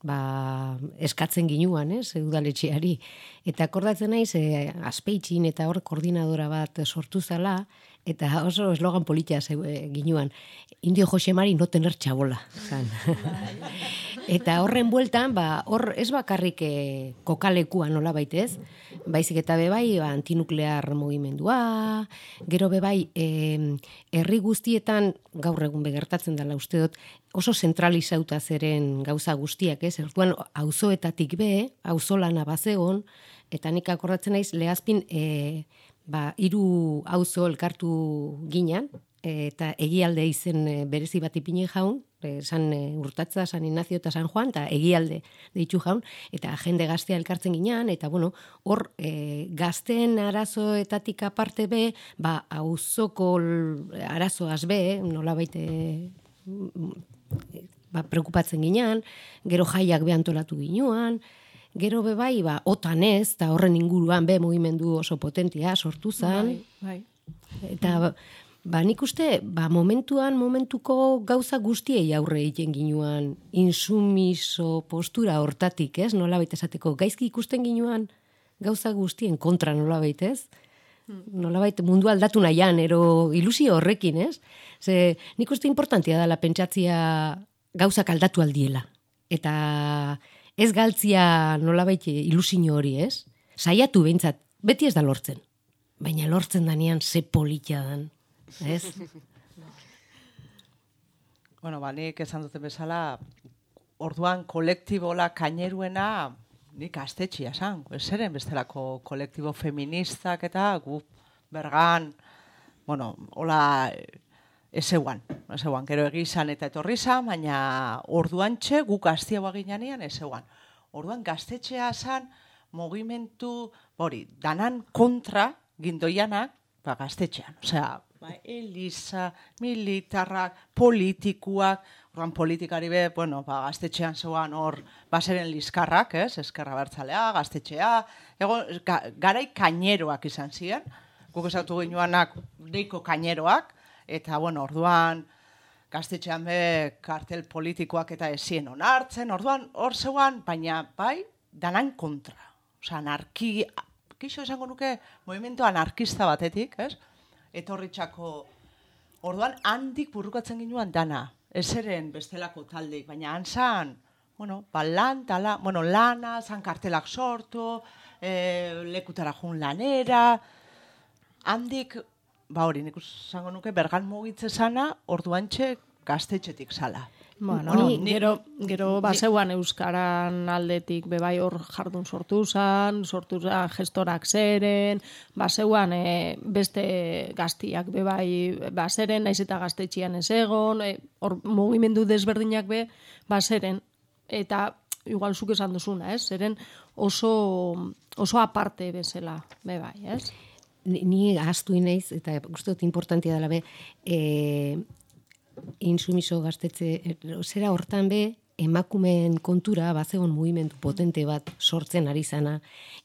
ba, eskatzen ginuan, ez, udaletxeari. Eta akordatzen naiz, e, Azpeitxin eta hor koordinadora bat sortu zala, eta oso eslogan politia e, ginuan. Indio Josemari no tener txabola. Eta horren bueltan, ba, hor ez bakarrik e, kokalekua nola baitez, baizik eta bebai ba, antinuklear mugimendua, gero bebai e, herri guztietan, gaur egun begertatzen dela uste dut, oso zentralizauta zeren gauza guztiak, ez? Orduan auzoetatik be, auzolana bazegon, eta nik akordatzen naiz Legazpin e, ba, hiru auzo elkartu ginan, eta egialde izen berezi bat ipini jaun, San Urtatza, San Ignacio eta San Juan, eta egialde deitu jaun, eta jende gaztea elkartzen ginean, eta bueno, hor e, gazteen arazoetatik aparte be, ba, auzoko arazoaz be, nola baite ba, preokupatzen ginean, gero jaiak be antolatu ginean, gero be bai, ba, otanez, eta horren inguruan be mugimendu oso potentia sortu zen, bai, bai. Eta ba, nik uste, ba, momentuan, momentuko gauza guztiei aurre egiten ginuan, insumiso postura hortatik, ez? Nola baita esateko, gaizki ikusten ginuan gauza guztien kontra nola baitez? Nola baita mundu aldatu nahian, ero ilusio horrekin, ez? Ze, nik uste importantia dela pentsatzia gauzak aldatu aldiela. Eta ez galtzia nola baita ilusio hori, ez? Saiatu behintzat, beti ez da lortzen. Baina lortzen danean ze politia dan. Ez? Bueno, ba, nik esan duten bezala, orduan kolektibola kaineruena nik gaztetxia esan. Zeren bestelako kolektibo feministak eta gu bergan, bueno, hola ez eguan, ez eguan, gero egizan eta etorri zan, baina orduan txe gu gaztiagoa ginean ez eguan. Orduan gaztetxea esan mugimendu, hori, danan kontra gindoianak, ba, gaztetxean. Osea, ba, Eliza, militarrak, politikuak, orduan politikari be, bueno, ba, gaztetxean zeuan hor, baseren liskarrak, ez, eskerra bertzalea, gaztetxea, ego, ga, garai kaineroak izan ziren, guk esatu ginuanak deiko kaineroak, eta, bueno, orduan, gaztetxean be, kartel politikoak eta ezien onartzen, orduan, hor zeuan, baina, bai, danan kontra. Osea, anarki, kixo esango nuke, movimento anarkista batetik, ez? Etorritxako, orduan, handik burrukatzen ginuan dana, ez eren bestelako taldeik, baina hantzan, bueno, ba, lan, tala, bueno, lana, zan kartelak sortu, e, lekutara jun lanera, handik, ba hori, nik esango nuke, bergan mugitze zana, orduantxe gaztetxetik zala. Bueno, Hori, gero, gero baseuan euskaran aldetik bebai hor jardun sortu zan, sortu zan gestorak zeren, baseuan e, beste gaztiak bebai baseren, naiz eta gaztetxian ez egon, e, hor mugimendu desberdinak be baseren, eta igual zuk esan duzuna, ez? Zeren oso, oso aparte bezala, bebai, ez? Ni, ni ahaztu inaiz, eta uste dut importantia dela be, e, insumiso gaztetze, zera hortan be, emakumeen kontura bazegon mugimendu potente bat sortzen ari zana,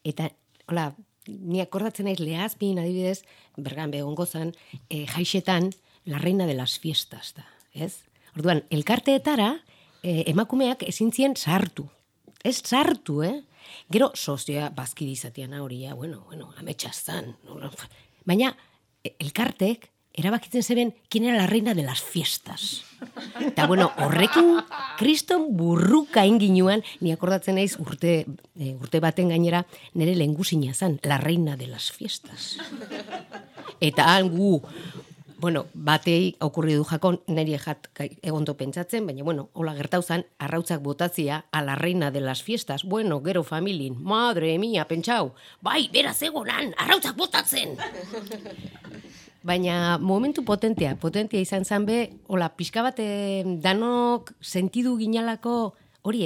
eta, hola, ni akordatzen naiz Lehazpin adibidez, bergan be ongozan, e, jaixetan, la reina de las fiestas da, ez? Orduan, elkarteetara, e, emakumeak ezin zien sartu, ez sartu, eh? Gero, sozioa bazkide izatean hori, ja, bueno, bueno, ametxaztan, baina, elkartek, erabakitzen zeben, kien era la reina de las fiestas. Eta, bueno, horrekin kriston burruka inginuan, ni akordatzen naiz urte, e, urte baten gainera, nire lehengusina zan, la reina de las fiestas. Eta han gu, bueno, batei okurri du jakon, niri jat egonto pentsatzen, baina, bueno, hola gertau zan, arrautzak botatzia a la reina de las fiestas. Bueno, gero familin, madre mia, pentsau, bai, beraz egonan, arrautzak botatzen! Baina momentu potentea, potentea izan zan be, hola, pixka bat danok sentidu ginalako hori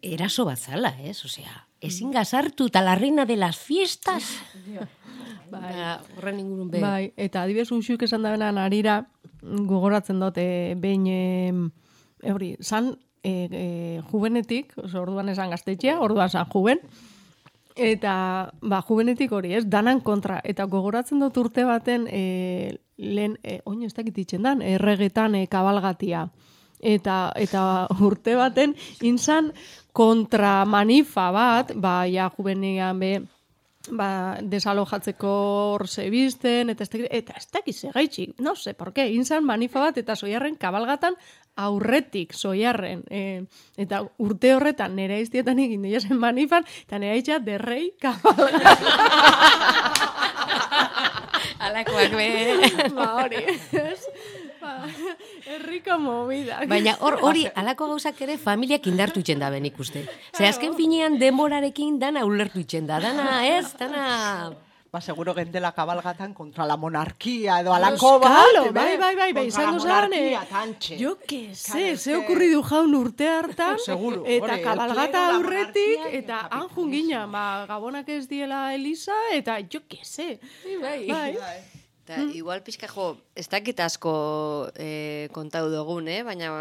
eraso bat zala, ez? Osea, ezin gazartu eta la reina de las fiestas. Bai, horren ingurun be. Bai, eta adibidez uxuk esan da benan arira, gogoratzen dut, e, behin, e, hori, zan, e, e, juvenetik, oso, orduan esan gaztetxea, orduan zan juven, eta, ba, juvenetik hori, ez, danan kontra, eta gogoratzen dut urte baten, e, lehen, e, oin ez dakit itzen dan, erregetan e, kabalgatia, eta, eta urte baten, inzan kontra manifa bat, ba, ja, juvenian be, ba, desalojatzeko hor zebizten, eta ez dakit, eta ez dakit segaitxik, no sé, por qué, inzan manifa bat, eta zoiarren kabalgatan, aurretik zoiarren, e, eta urte horretan nera iztietan egin dira zen manifan, eta nera itxa derrei kabalgatan. Alakoak be. Ba, hori, ez? Ba, herriko movida. Baina hor hori alako gauzak ere familiak indartu itxen da ben ikuste. Ze azken finean denborarekin dana ulertu itxen da, dana, ez? Dana... Ba, seguro gendela kabalgatan kontra la monarquia edo alako bat. Claro, bai, bai, bai, bai, izango zan, tantxe. jo que se, ze okurridu jaun urte hartan, Seguro, eta hori, kabalgata el aurretik, monarquia eta eta han jungina, ba, gabonak ez diela Elisa, eta jo que se. Bai, bai. Eta, igual pixka jo, ez dakit asko e, kontau dugun, eh? Baina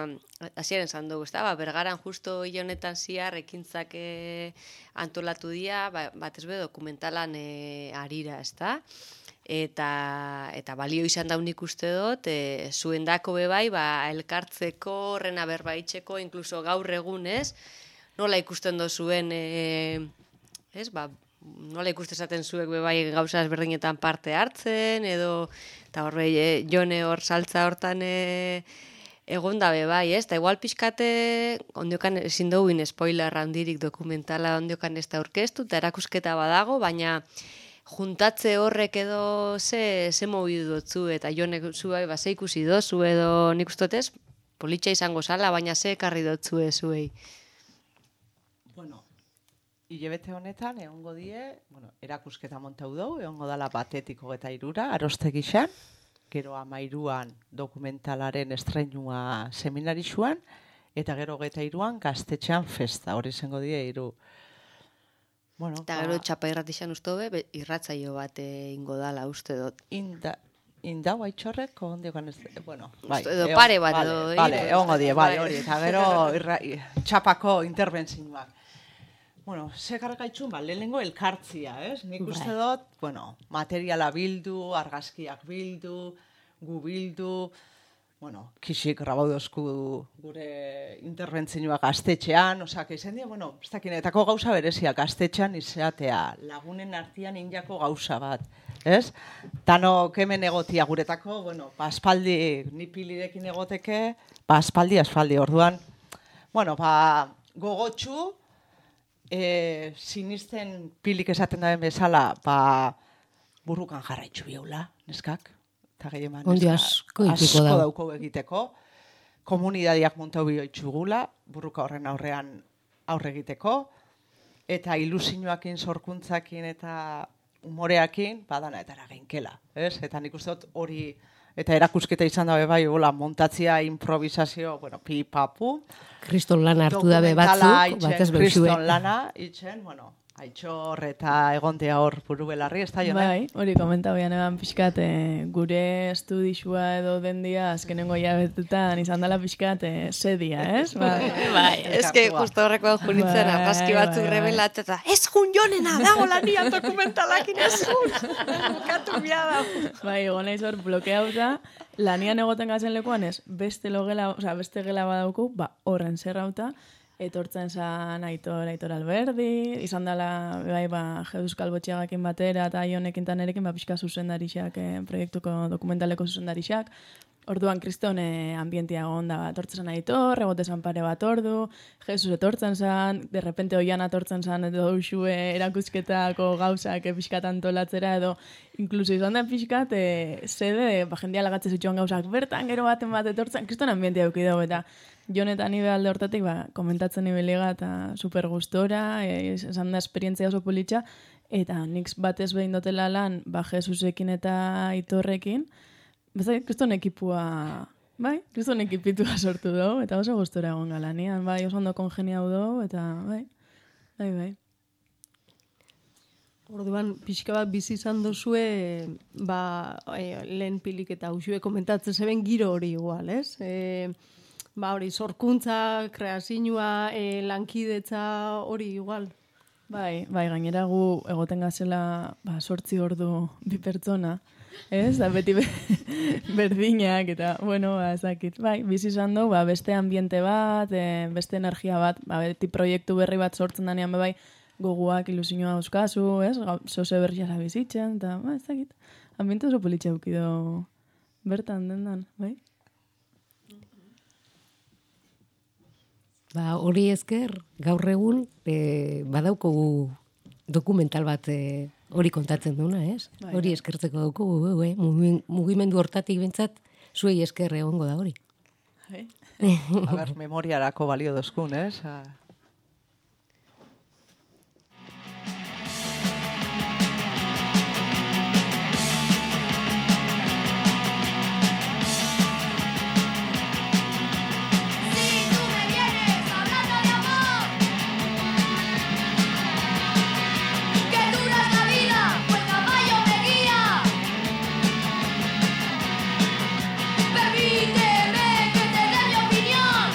hasiaren zan dugu, ez da? Ba, bergaran justo hile honetan ziar ekintzak e, antolatu dia, ba, batez be dokumentalan e, arira, ez da? Eta, eta balio izan daun ikuste dut, e, zuen dako bebai, ba, elkartzeko, horrena berbaitzeko, inkluso gaur egun, ez? Nola ikusten dozuen, e, ez, ba, nola ikuste esaten zuek bebai gauza ezberdinetan parte hartzen, edo, eta horre, e, jone hor saltza hortan e, egon da bebai, ez? Eta igual pixkate, ondiokan ezin duguin spoiler handirik dokumentala ondiokan ez da aurkeztu, eta erakusketa badago, baina juntatze horrek edo ze, ze mobidu dutzu, eta jone zu bai, ba, ze ikusi dozu, edo nik ustotez, politxa izango zala, baina ze ekarri dotzue zuei. Bueno, hilabete honetan, egongo die, bueno, erakusketa montau dugu, egongo dala batetiko eta irura, arostegixan, gero amairuan dokumentalaren estreinua seminarixuan, eta gero geta iruan gaztetxean festa, hori izango die iru. Bueno, eta gero txapa irratixan ustobe, irratzaio bat ingo dala uste dut. Inda, indau aitzorrek, ondeokan ez, bueno, bai. Edo pare bat, edo. Vale, vale, egongo die, bai, hori, eta gero irra, txapako interbentzioak. Bueno, zekarrak aitzun, ba, lehenengo elkartzia, ez? Nik uste dut, bueno, materiala bildu, argazkiak bildu, gu bildu, bueno, kisik grabaudozku gure interbentzioak gaztetxean, osak, izan dira, bueno, ez dakinetako gauza berezia, gaztetxean izatea, lagunen artean injako gauza bat, ez? Tano kemen egotia guretako, bueno, ba, aspaldi, ni pilirekin egoteke, ba, aspaldi, aspaldi, orduan, bueno, ba, gogotxu, e, sinisten pilik esaten daren bezala, ba, burrukan jarraitxu biaula, neskak, eta gehieman Ondi asko itiko da. dauko egiteko, komunidadiak montau bioitxugula, burruka horren aurrean aurre egiteko, eta ilusioakin, sorkuntzakin eta umoreakin, badana eta erageinkela, ez? Eta nik uste dut hori, eta erakusketa izan dabe bai, hola, montatzia, improvisazio, bueno, pipapu. Kriston lana hartu dabe batzuk, batez behuzue. Kriston lana, itxen, bueno, Aitzor eta egontea hor buru belarri, ez da, Jone? Bai, hori komenta bian eban pixkat, eh, gure estudixua edo dendia azkenengo jabetutan izan dela pixkat eh, sedia, ez? Bai, bai, eske justo horrekoan junitzen Bai, argazki batzuk bai, bai. revelat, eta ez jun jonena, dago lanian dokumentalakin ez jun, bukatu biada. Bai, egon naiz hor blokeauta, lanian egoten gazen lekuan ez, beste logela, osea, beste gela badauku, ba, horren zerrauta, etortzen zan Aitor, Aitor Alberdi, izan dela, bai, ba, Euskal Botxiagakin batera, eta Ionekin tanerekin, ba, pixka zuzendarixak, eh, proiektuko dokumentaleko zuzendarixak. Orduan, kriston eh, ambientia gonda, ba, etortzen zan Aitor, egote zan pare bat ordu, Jesus etortzen zan, de repente oian atortzen zan, edo usue erakusketako gauzak eh, pixkat antolatzera, edo inkluso izan da pixkat, eh, sede, ba, jendia lagatze zituen gauzak bertan, gero baten bat etortzen, kriston ambientia eduki dugu, eta Jon eta ni alde hortatik, ba, komentatzen ibeliga eta super gustora, e, esan da esperientzia oso politxa, eta nik batez behin dotela lan, ba, Jesusekin eta Aitorrekin, bezai, kriston ekipua, bai, kriston ekipitua sortu dugu, eta oso gustora egon galanian, bai, oso ondo kongeniau dugu, eta bai, bai, bai. Orduan, pixka bat bizi izan dozue, ba, e, lehen pilik eta usue komentatzen zeben giro hori igual, ez? E, Ba hori, sorkuntza, kreazioa, e, lankidetza hori igual. Bai, bai, gainera gu egoten gazela ba, sortzi ordu bi pertsona, ez? Da beti be, berdinak eta, bueno, ba, ezakit. Bai, bizi izan du, ba, beste ambiente bat, e, beste energia bat, ba, beti proiektu berri bat sortzen danean be bai, goguak ilusioa euskazu, ez? Zoze berria zabizitzen, eta, ba, ezakit. Ambiente oso politxe eukido bertan dendan, bai? Ba, hori esker, gaur egun, e, badaukogu dokumental bat e, hori kontatzen duna, ez? Bai, Hori bai. eskertzeko daukogu, e, e, mugimendu hortatik bintzat, zuei esker egongo da hori. Bai. A ber, memoriarako balio dozkun, ez? Ah. Si tú me vienes hablando de amor, que dura la vida, pues caballo me guía. Permíteme que te dé mi opinión.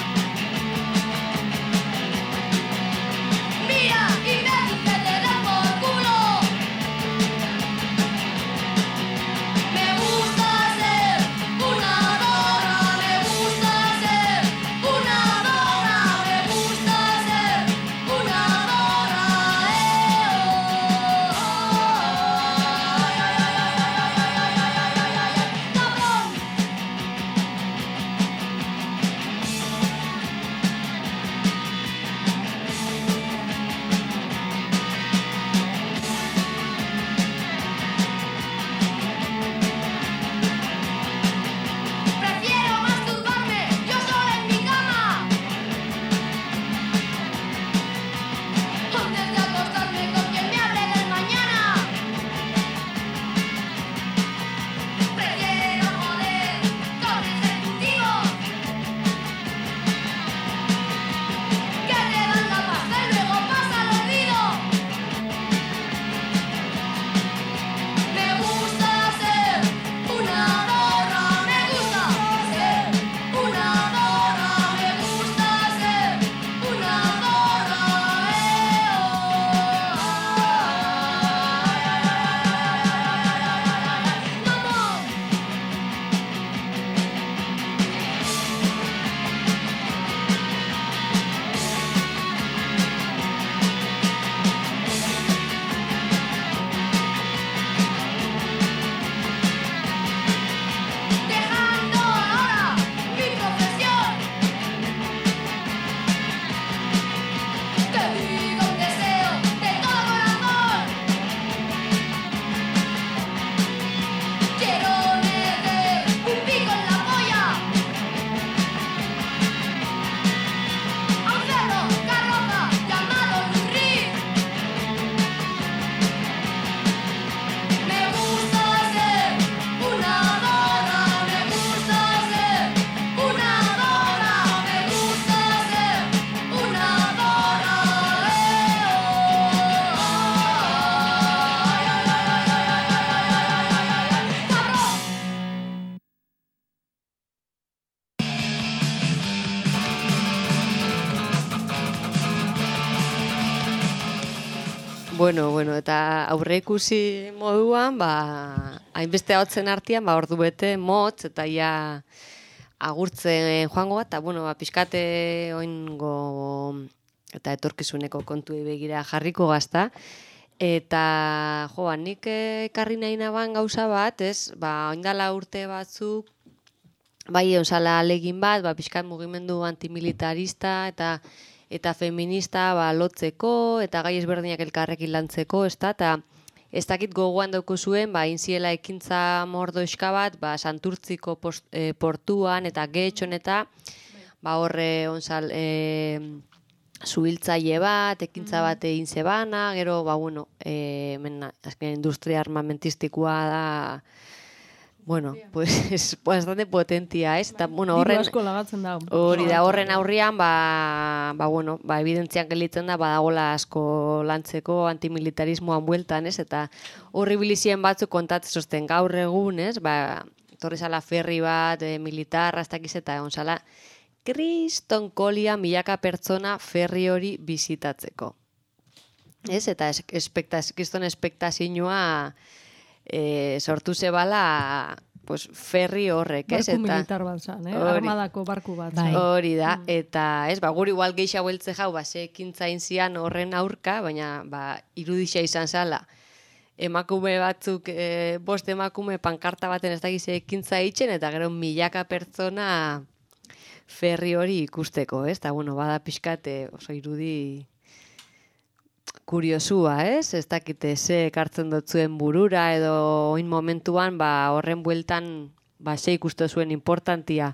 Bueno, bueno, eta aurreikusi moduan, ba, hainbeste hotzen artean, ba, ordu bete motz, eta ja agurtzen joango bat, eta, bueno, ba, pixkate oingo eta etorkizuneko kontuei begira jarriko gazta. Eta, jo, ba, nik ekarri nahi naban gauza bat, ez, ba, oindala urte batzuk, bai, onsala alegin bat, ba, pixkat mugimendu antimilitarista, eta eta feminista ba, lotzeko, eta gai ezberdinak elkarrekin lantzeko, ez da, eta ez dakit gogoan dauko zuen, ba, inziela ekintza mordoxka bat, ba, Santurtziko post, e, portuan, eta getxon, eta ba, horre onsal, e, zuhiltzaile bat, ekintza bat egin zebana, gero, ba, bueno, e, mena, azken industria armamentistikoa da, bueno, pues es bastante potentia, ez? Eta, bueno, horren... Diru asko lagatzen da. Hori da, horren aurrian, ba, ba, bueno, ba, evidentzian gelitzen da, badagola asko lantzeko antimilitarismoan bueltan, ez? Eta horri bilizien batzuk kontatzen zozten gaur egun, ez? Ba, torri zala ferri bat, e, militarra, ez dakiz, eta egon zala, kriston kolia milaka pertsona ferri hori bizitatzeko. Ez? Eta espektaz, kriston espektazioa e, sortu zebala pues, ferri horrek, ez? Barku militar bat zan, eh? Hori. Armadako barku bat Bai. zan. Hori da, eta ez, ba, guri igual geixa bueltze jau, ba, ze ekintzain zian horren aurka, baina ba, irudixa izan zala. Emakume batzuk, e, bost emakume pankarta baten ez dakize ekintza itxen, eta gero milaka pertsona ferri hori ikusteko, ez? Eta, bueno, bada pixkate oso irudi kuriosua, ez? Ez dakite ze ekartzen dotzuen burura, edo oin momentuan, ba, horren bueltan, ba, ze ikustu zuen importantia.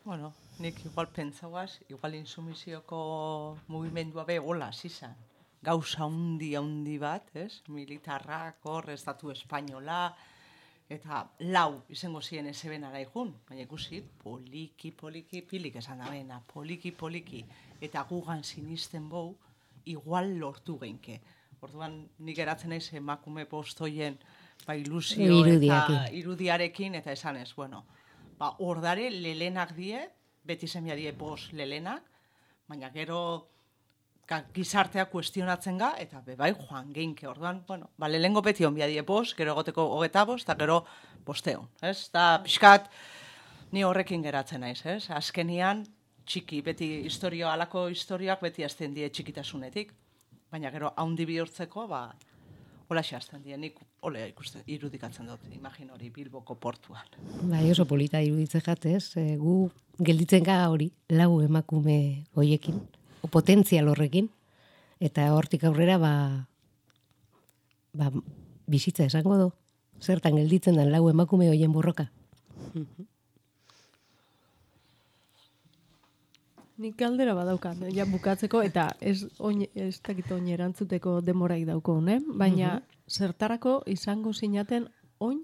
Bueno, nik igual pentsauaz, igual insumizioko mugimendua be hola zizan. Gauza handi handi bat, ez? Militarrak, hor, estatu espainola, eta lau izango ziren ezeben araikun, baina ikusi, poliki, poliki, pilik esan da bena, poliki, poliki, eta gugan sinisten bou, igual lortu geinke. Orduan, nik eratzen naiz emakume postoien ba, ilusio Irudiakin. eta irudiarekin, eta esan ez, bueno, ba, ordare lelenak die, beti zemia die bost lelenak, baina gero ka, gizartea kuestionatzen ga, eta bebai joan geinke, orduan, bueno, ba, lehengo beti onbia die bost, gero egoteko hogeta bost, eta gero bosteon, ez? Eta pixkat, ni horrekin geratzen naiz, ez? Azkenian, txiki, beti historio, alako historioak beti azten die txikitasunetik, baina gero haundi bihurtzeko, ba, hola xazten die, nik hola ikusten, irudikatzen dut, imagin hori Bilboko portuan. Bai, oso polita iruditzen jatez, e, gu gelditzen ga hori, lau emakume hoiekin, o potentzial horrekin, eta hortik aurrera, ba, ba, bizitza esango do, zertan gelditzen den lau emakume hoien borroka. Nik galdera badaukat, ja bukatzeko, eta ez, oin, ez dakit oin erantzuteko demoraik dauko, ne? Baina zertarako izango zinaten oin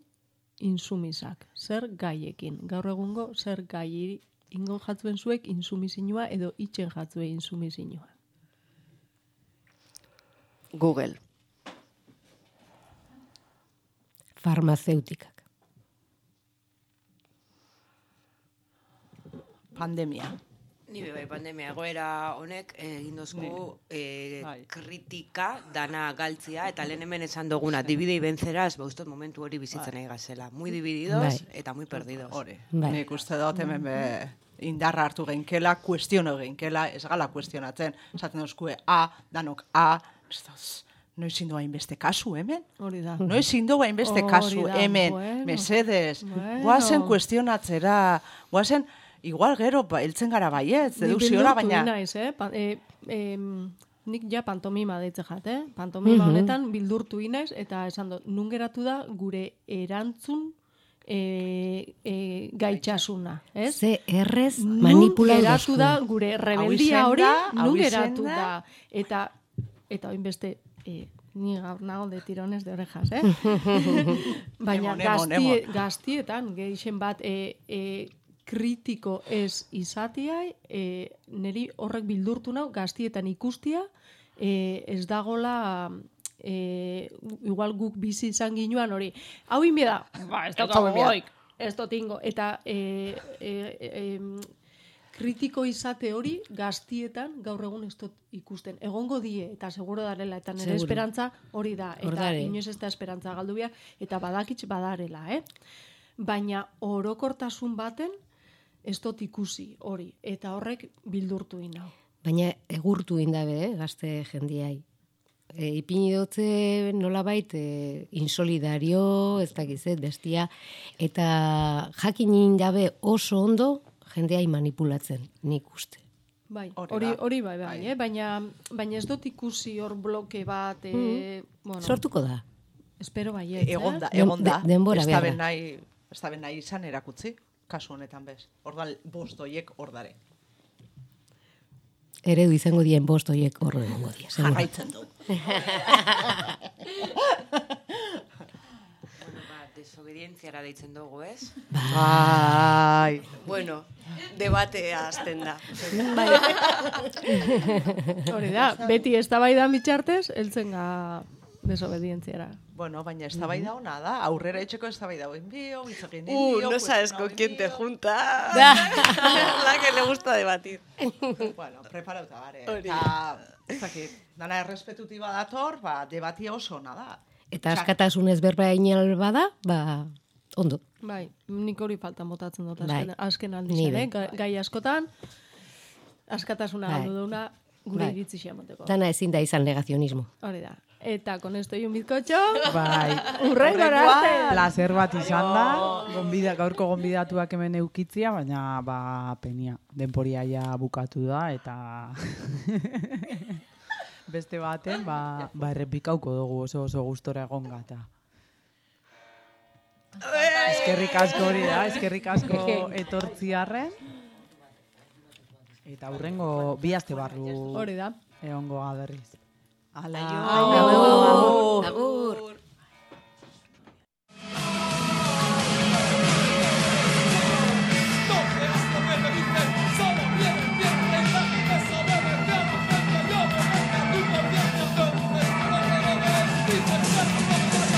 insumisak, zer gaiekin. Gaur egungo zer gai ingo jatzuen zuek insumisinua edo itxen jatzue insumisinua. Google. Farmazeutikak. Pandemia. Ni bai pandemia egoera honek egin dozku eh, Bai. kritika dana galtzia, eta lehen hemen esan duguna, dibide ibentzeraz, ba, ustot momentu hori bizitzen nahi gazela. Muy divididos Bai. eta muy perdidos. Hori, Bai. nik uste dut hemen be, indarra hartu geinkela, kuestiono geinkela, ez gala kuestionatzen, esaten duzkue A, danok A, ez da, noiz indoa hainbeste kasu hemen? Hori da. Noiz indoa hainbeste Hori kasu da, hemen, bueno. mesedez, Bueno. guazen kuestionatzera, guazen, igual gero, ba, heltzen gara baietz, Ni deduziora, bildurtu baina... naiz, eh? Pa, eh, em, nik ja pantomima deitze jat, eh? Pantomima Mhm. honetan bildurtu inaiz, eta esan dut, nun geratu da gure erantzun e, e, gaitxasuna, ez? Ze errez Nun manipulau geratu da dozku. gure Hau rebeldia izen hori, da, hau nun izen geratu da. da. Eta, eta oin beste, e, ni gaur nago de tirones de orejas, eh? Baina Emon, emon, gaztie, emon. gaztietan, gehixen bat, e, e, kritiko ez izatea, e, niri horrek bildurtu nau, gaztietan ikustia, e, ez dagola... E, igual guk bizi izan ginuan hori. Hau inbe da, ba, ez daukago goik, ez dotingo. Eta e, e, e, kritiko izate hori gaztietan gaur egun ez dut ikusten. Egongo die, eta seguro darela, eta nire Seguro. esperantza hori da. Eta Hordare. inoiz ez da esperantza galdu behar, eta badakitz badarela, eh? Baina orokortasun baten ez dut ikusi hori, eta horrek bildurtu inau. Baina egurtu indabe, eh, gazte jendiai. E, ipini dutze nolabait e, insolidario, ez dakizet, bestia, eta jakin indabe oso ondo jendeai manipulatzen, nik uste. Bai, Hori hori, da. hori bai, bai, eh? baina, baina ez dut ikusi hor bloke bat, eh, bueno, Sortuko da. espero baiet, eh? Egon da, Den- egon da. de- denbora Ez behar da da. ben nahi, ez da ben nahi izan erakutzi, kasu honetan bez. Ordan bost hoiek ordare. Eredu izango dien bost horiek horre egongo dira. seguro. Jarraitzen du. Bueno, ba, desobedientziara deitzen dugu, ez? Bai. Bueno, debatea azten da. Hori da, beti eztabaidan bitxartez, heltzen ga desobedientziara. Bueno, baina eztabaida ona da, aurrera etxeko eztabaida hoen bio, bitzakin Uh, indio, no sabes con quién te juntas. La que le gusta debatir. Bueno, preparauta bare. Hori. Eta, ez dakit, dana errespetutiba dator, ba, debatia oso ona da. Eta askatasunez berba inal bada, ba, ondo. Bai, nik hori faltan botatzen dut Bai. azken, azken Ni aldizan, be. eh? Ga- Gai askotan, askatasuna Bai. galdu duguna gure Bai. iritzi xamoteko. Dana ezin da izan negazionismo. Hori da. Eta con esto y un bizcocho, Bai. urrengora arte. Placer bat izan da, gonbida, gaurko gonbidatuak hemen eukitzia, baina ba penia, denporia ja bukatu da, eta beste baten, ba, ba errepikauko dugu oso oso gustora egon gata. Eskerrik asko hori da, eskerrik asko etortziarren. Eta hurrengo bi aste barru Hori da. egongo berriz. Ala. Aio. Agur.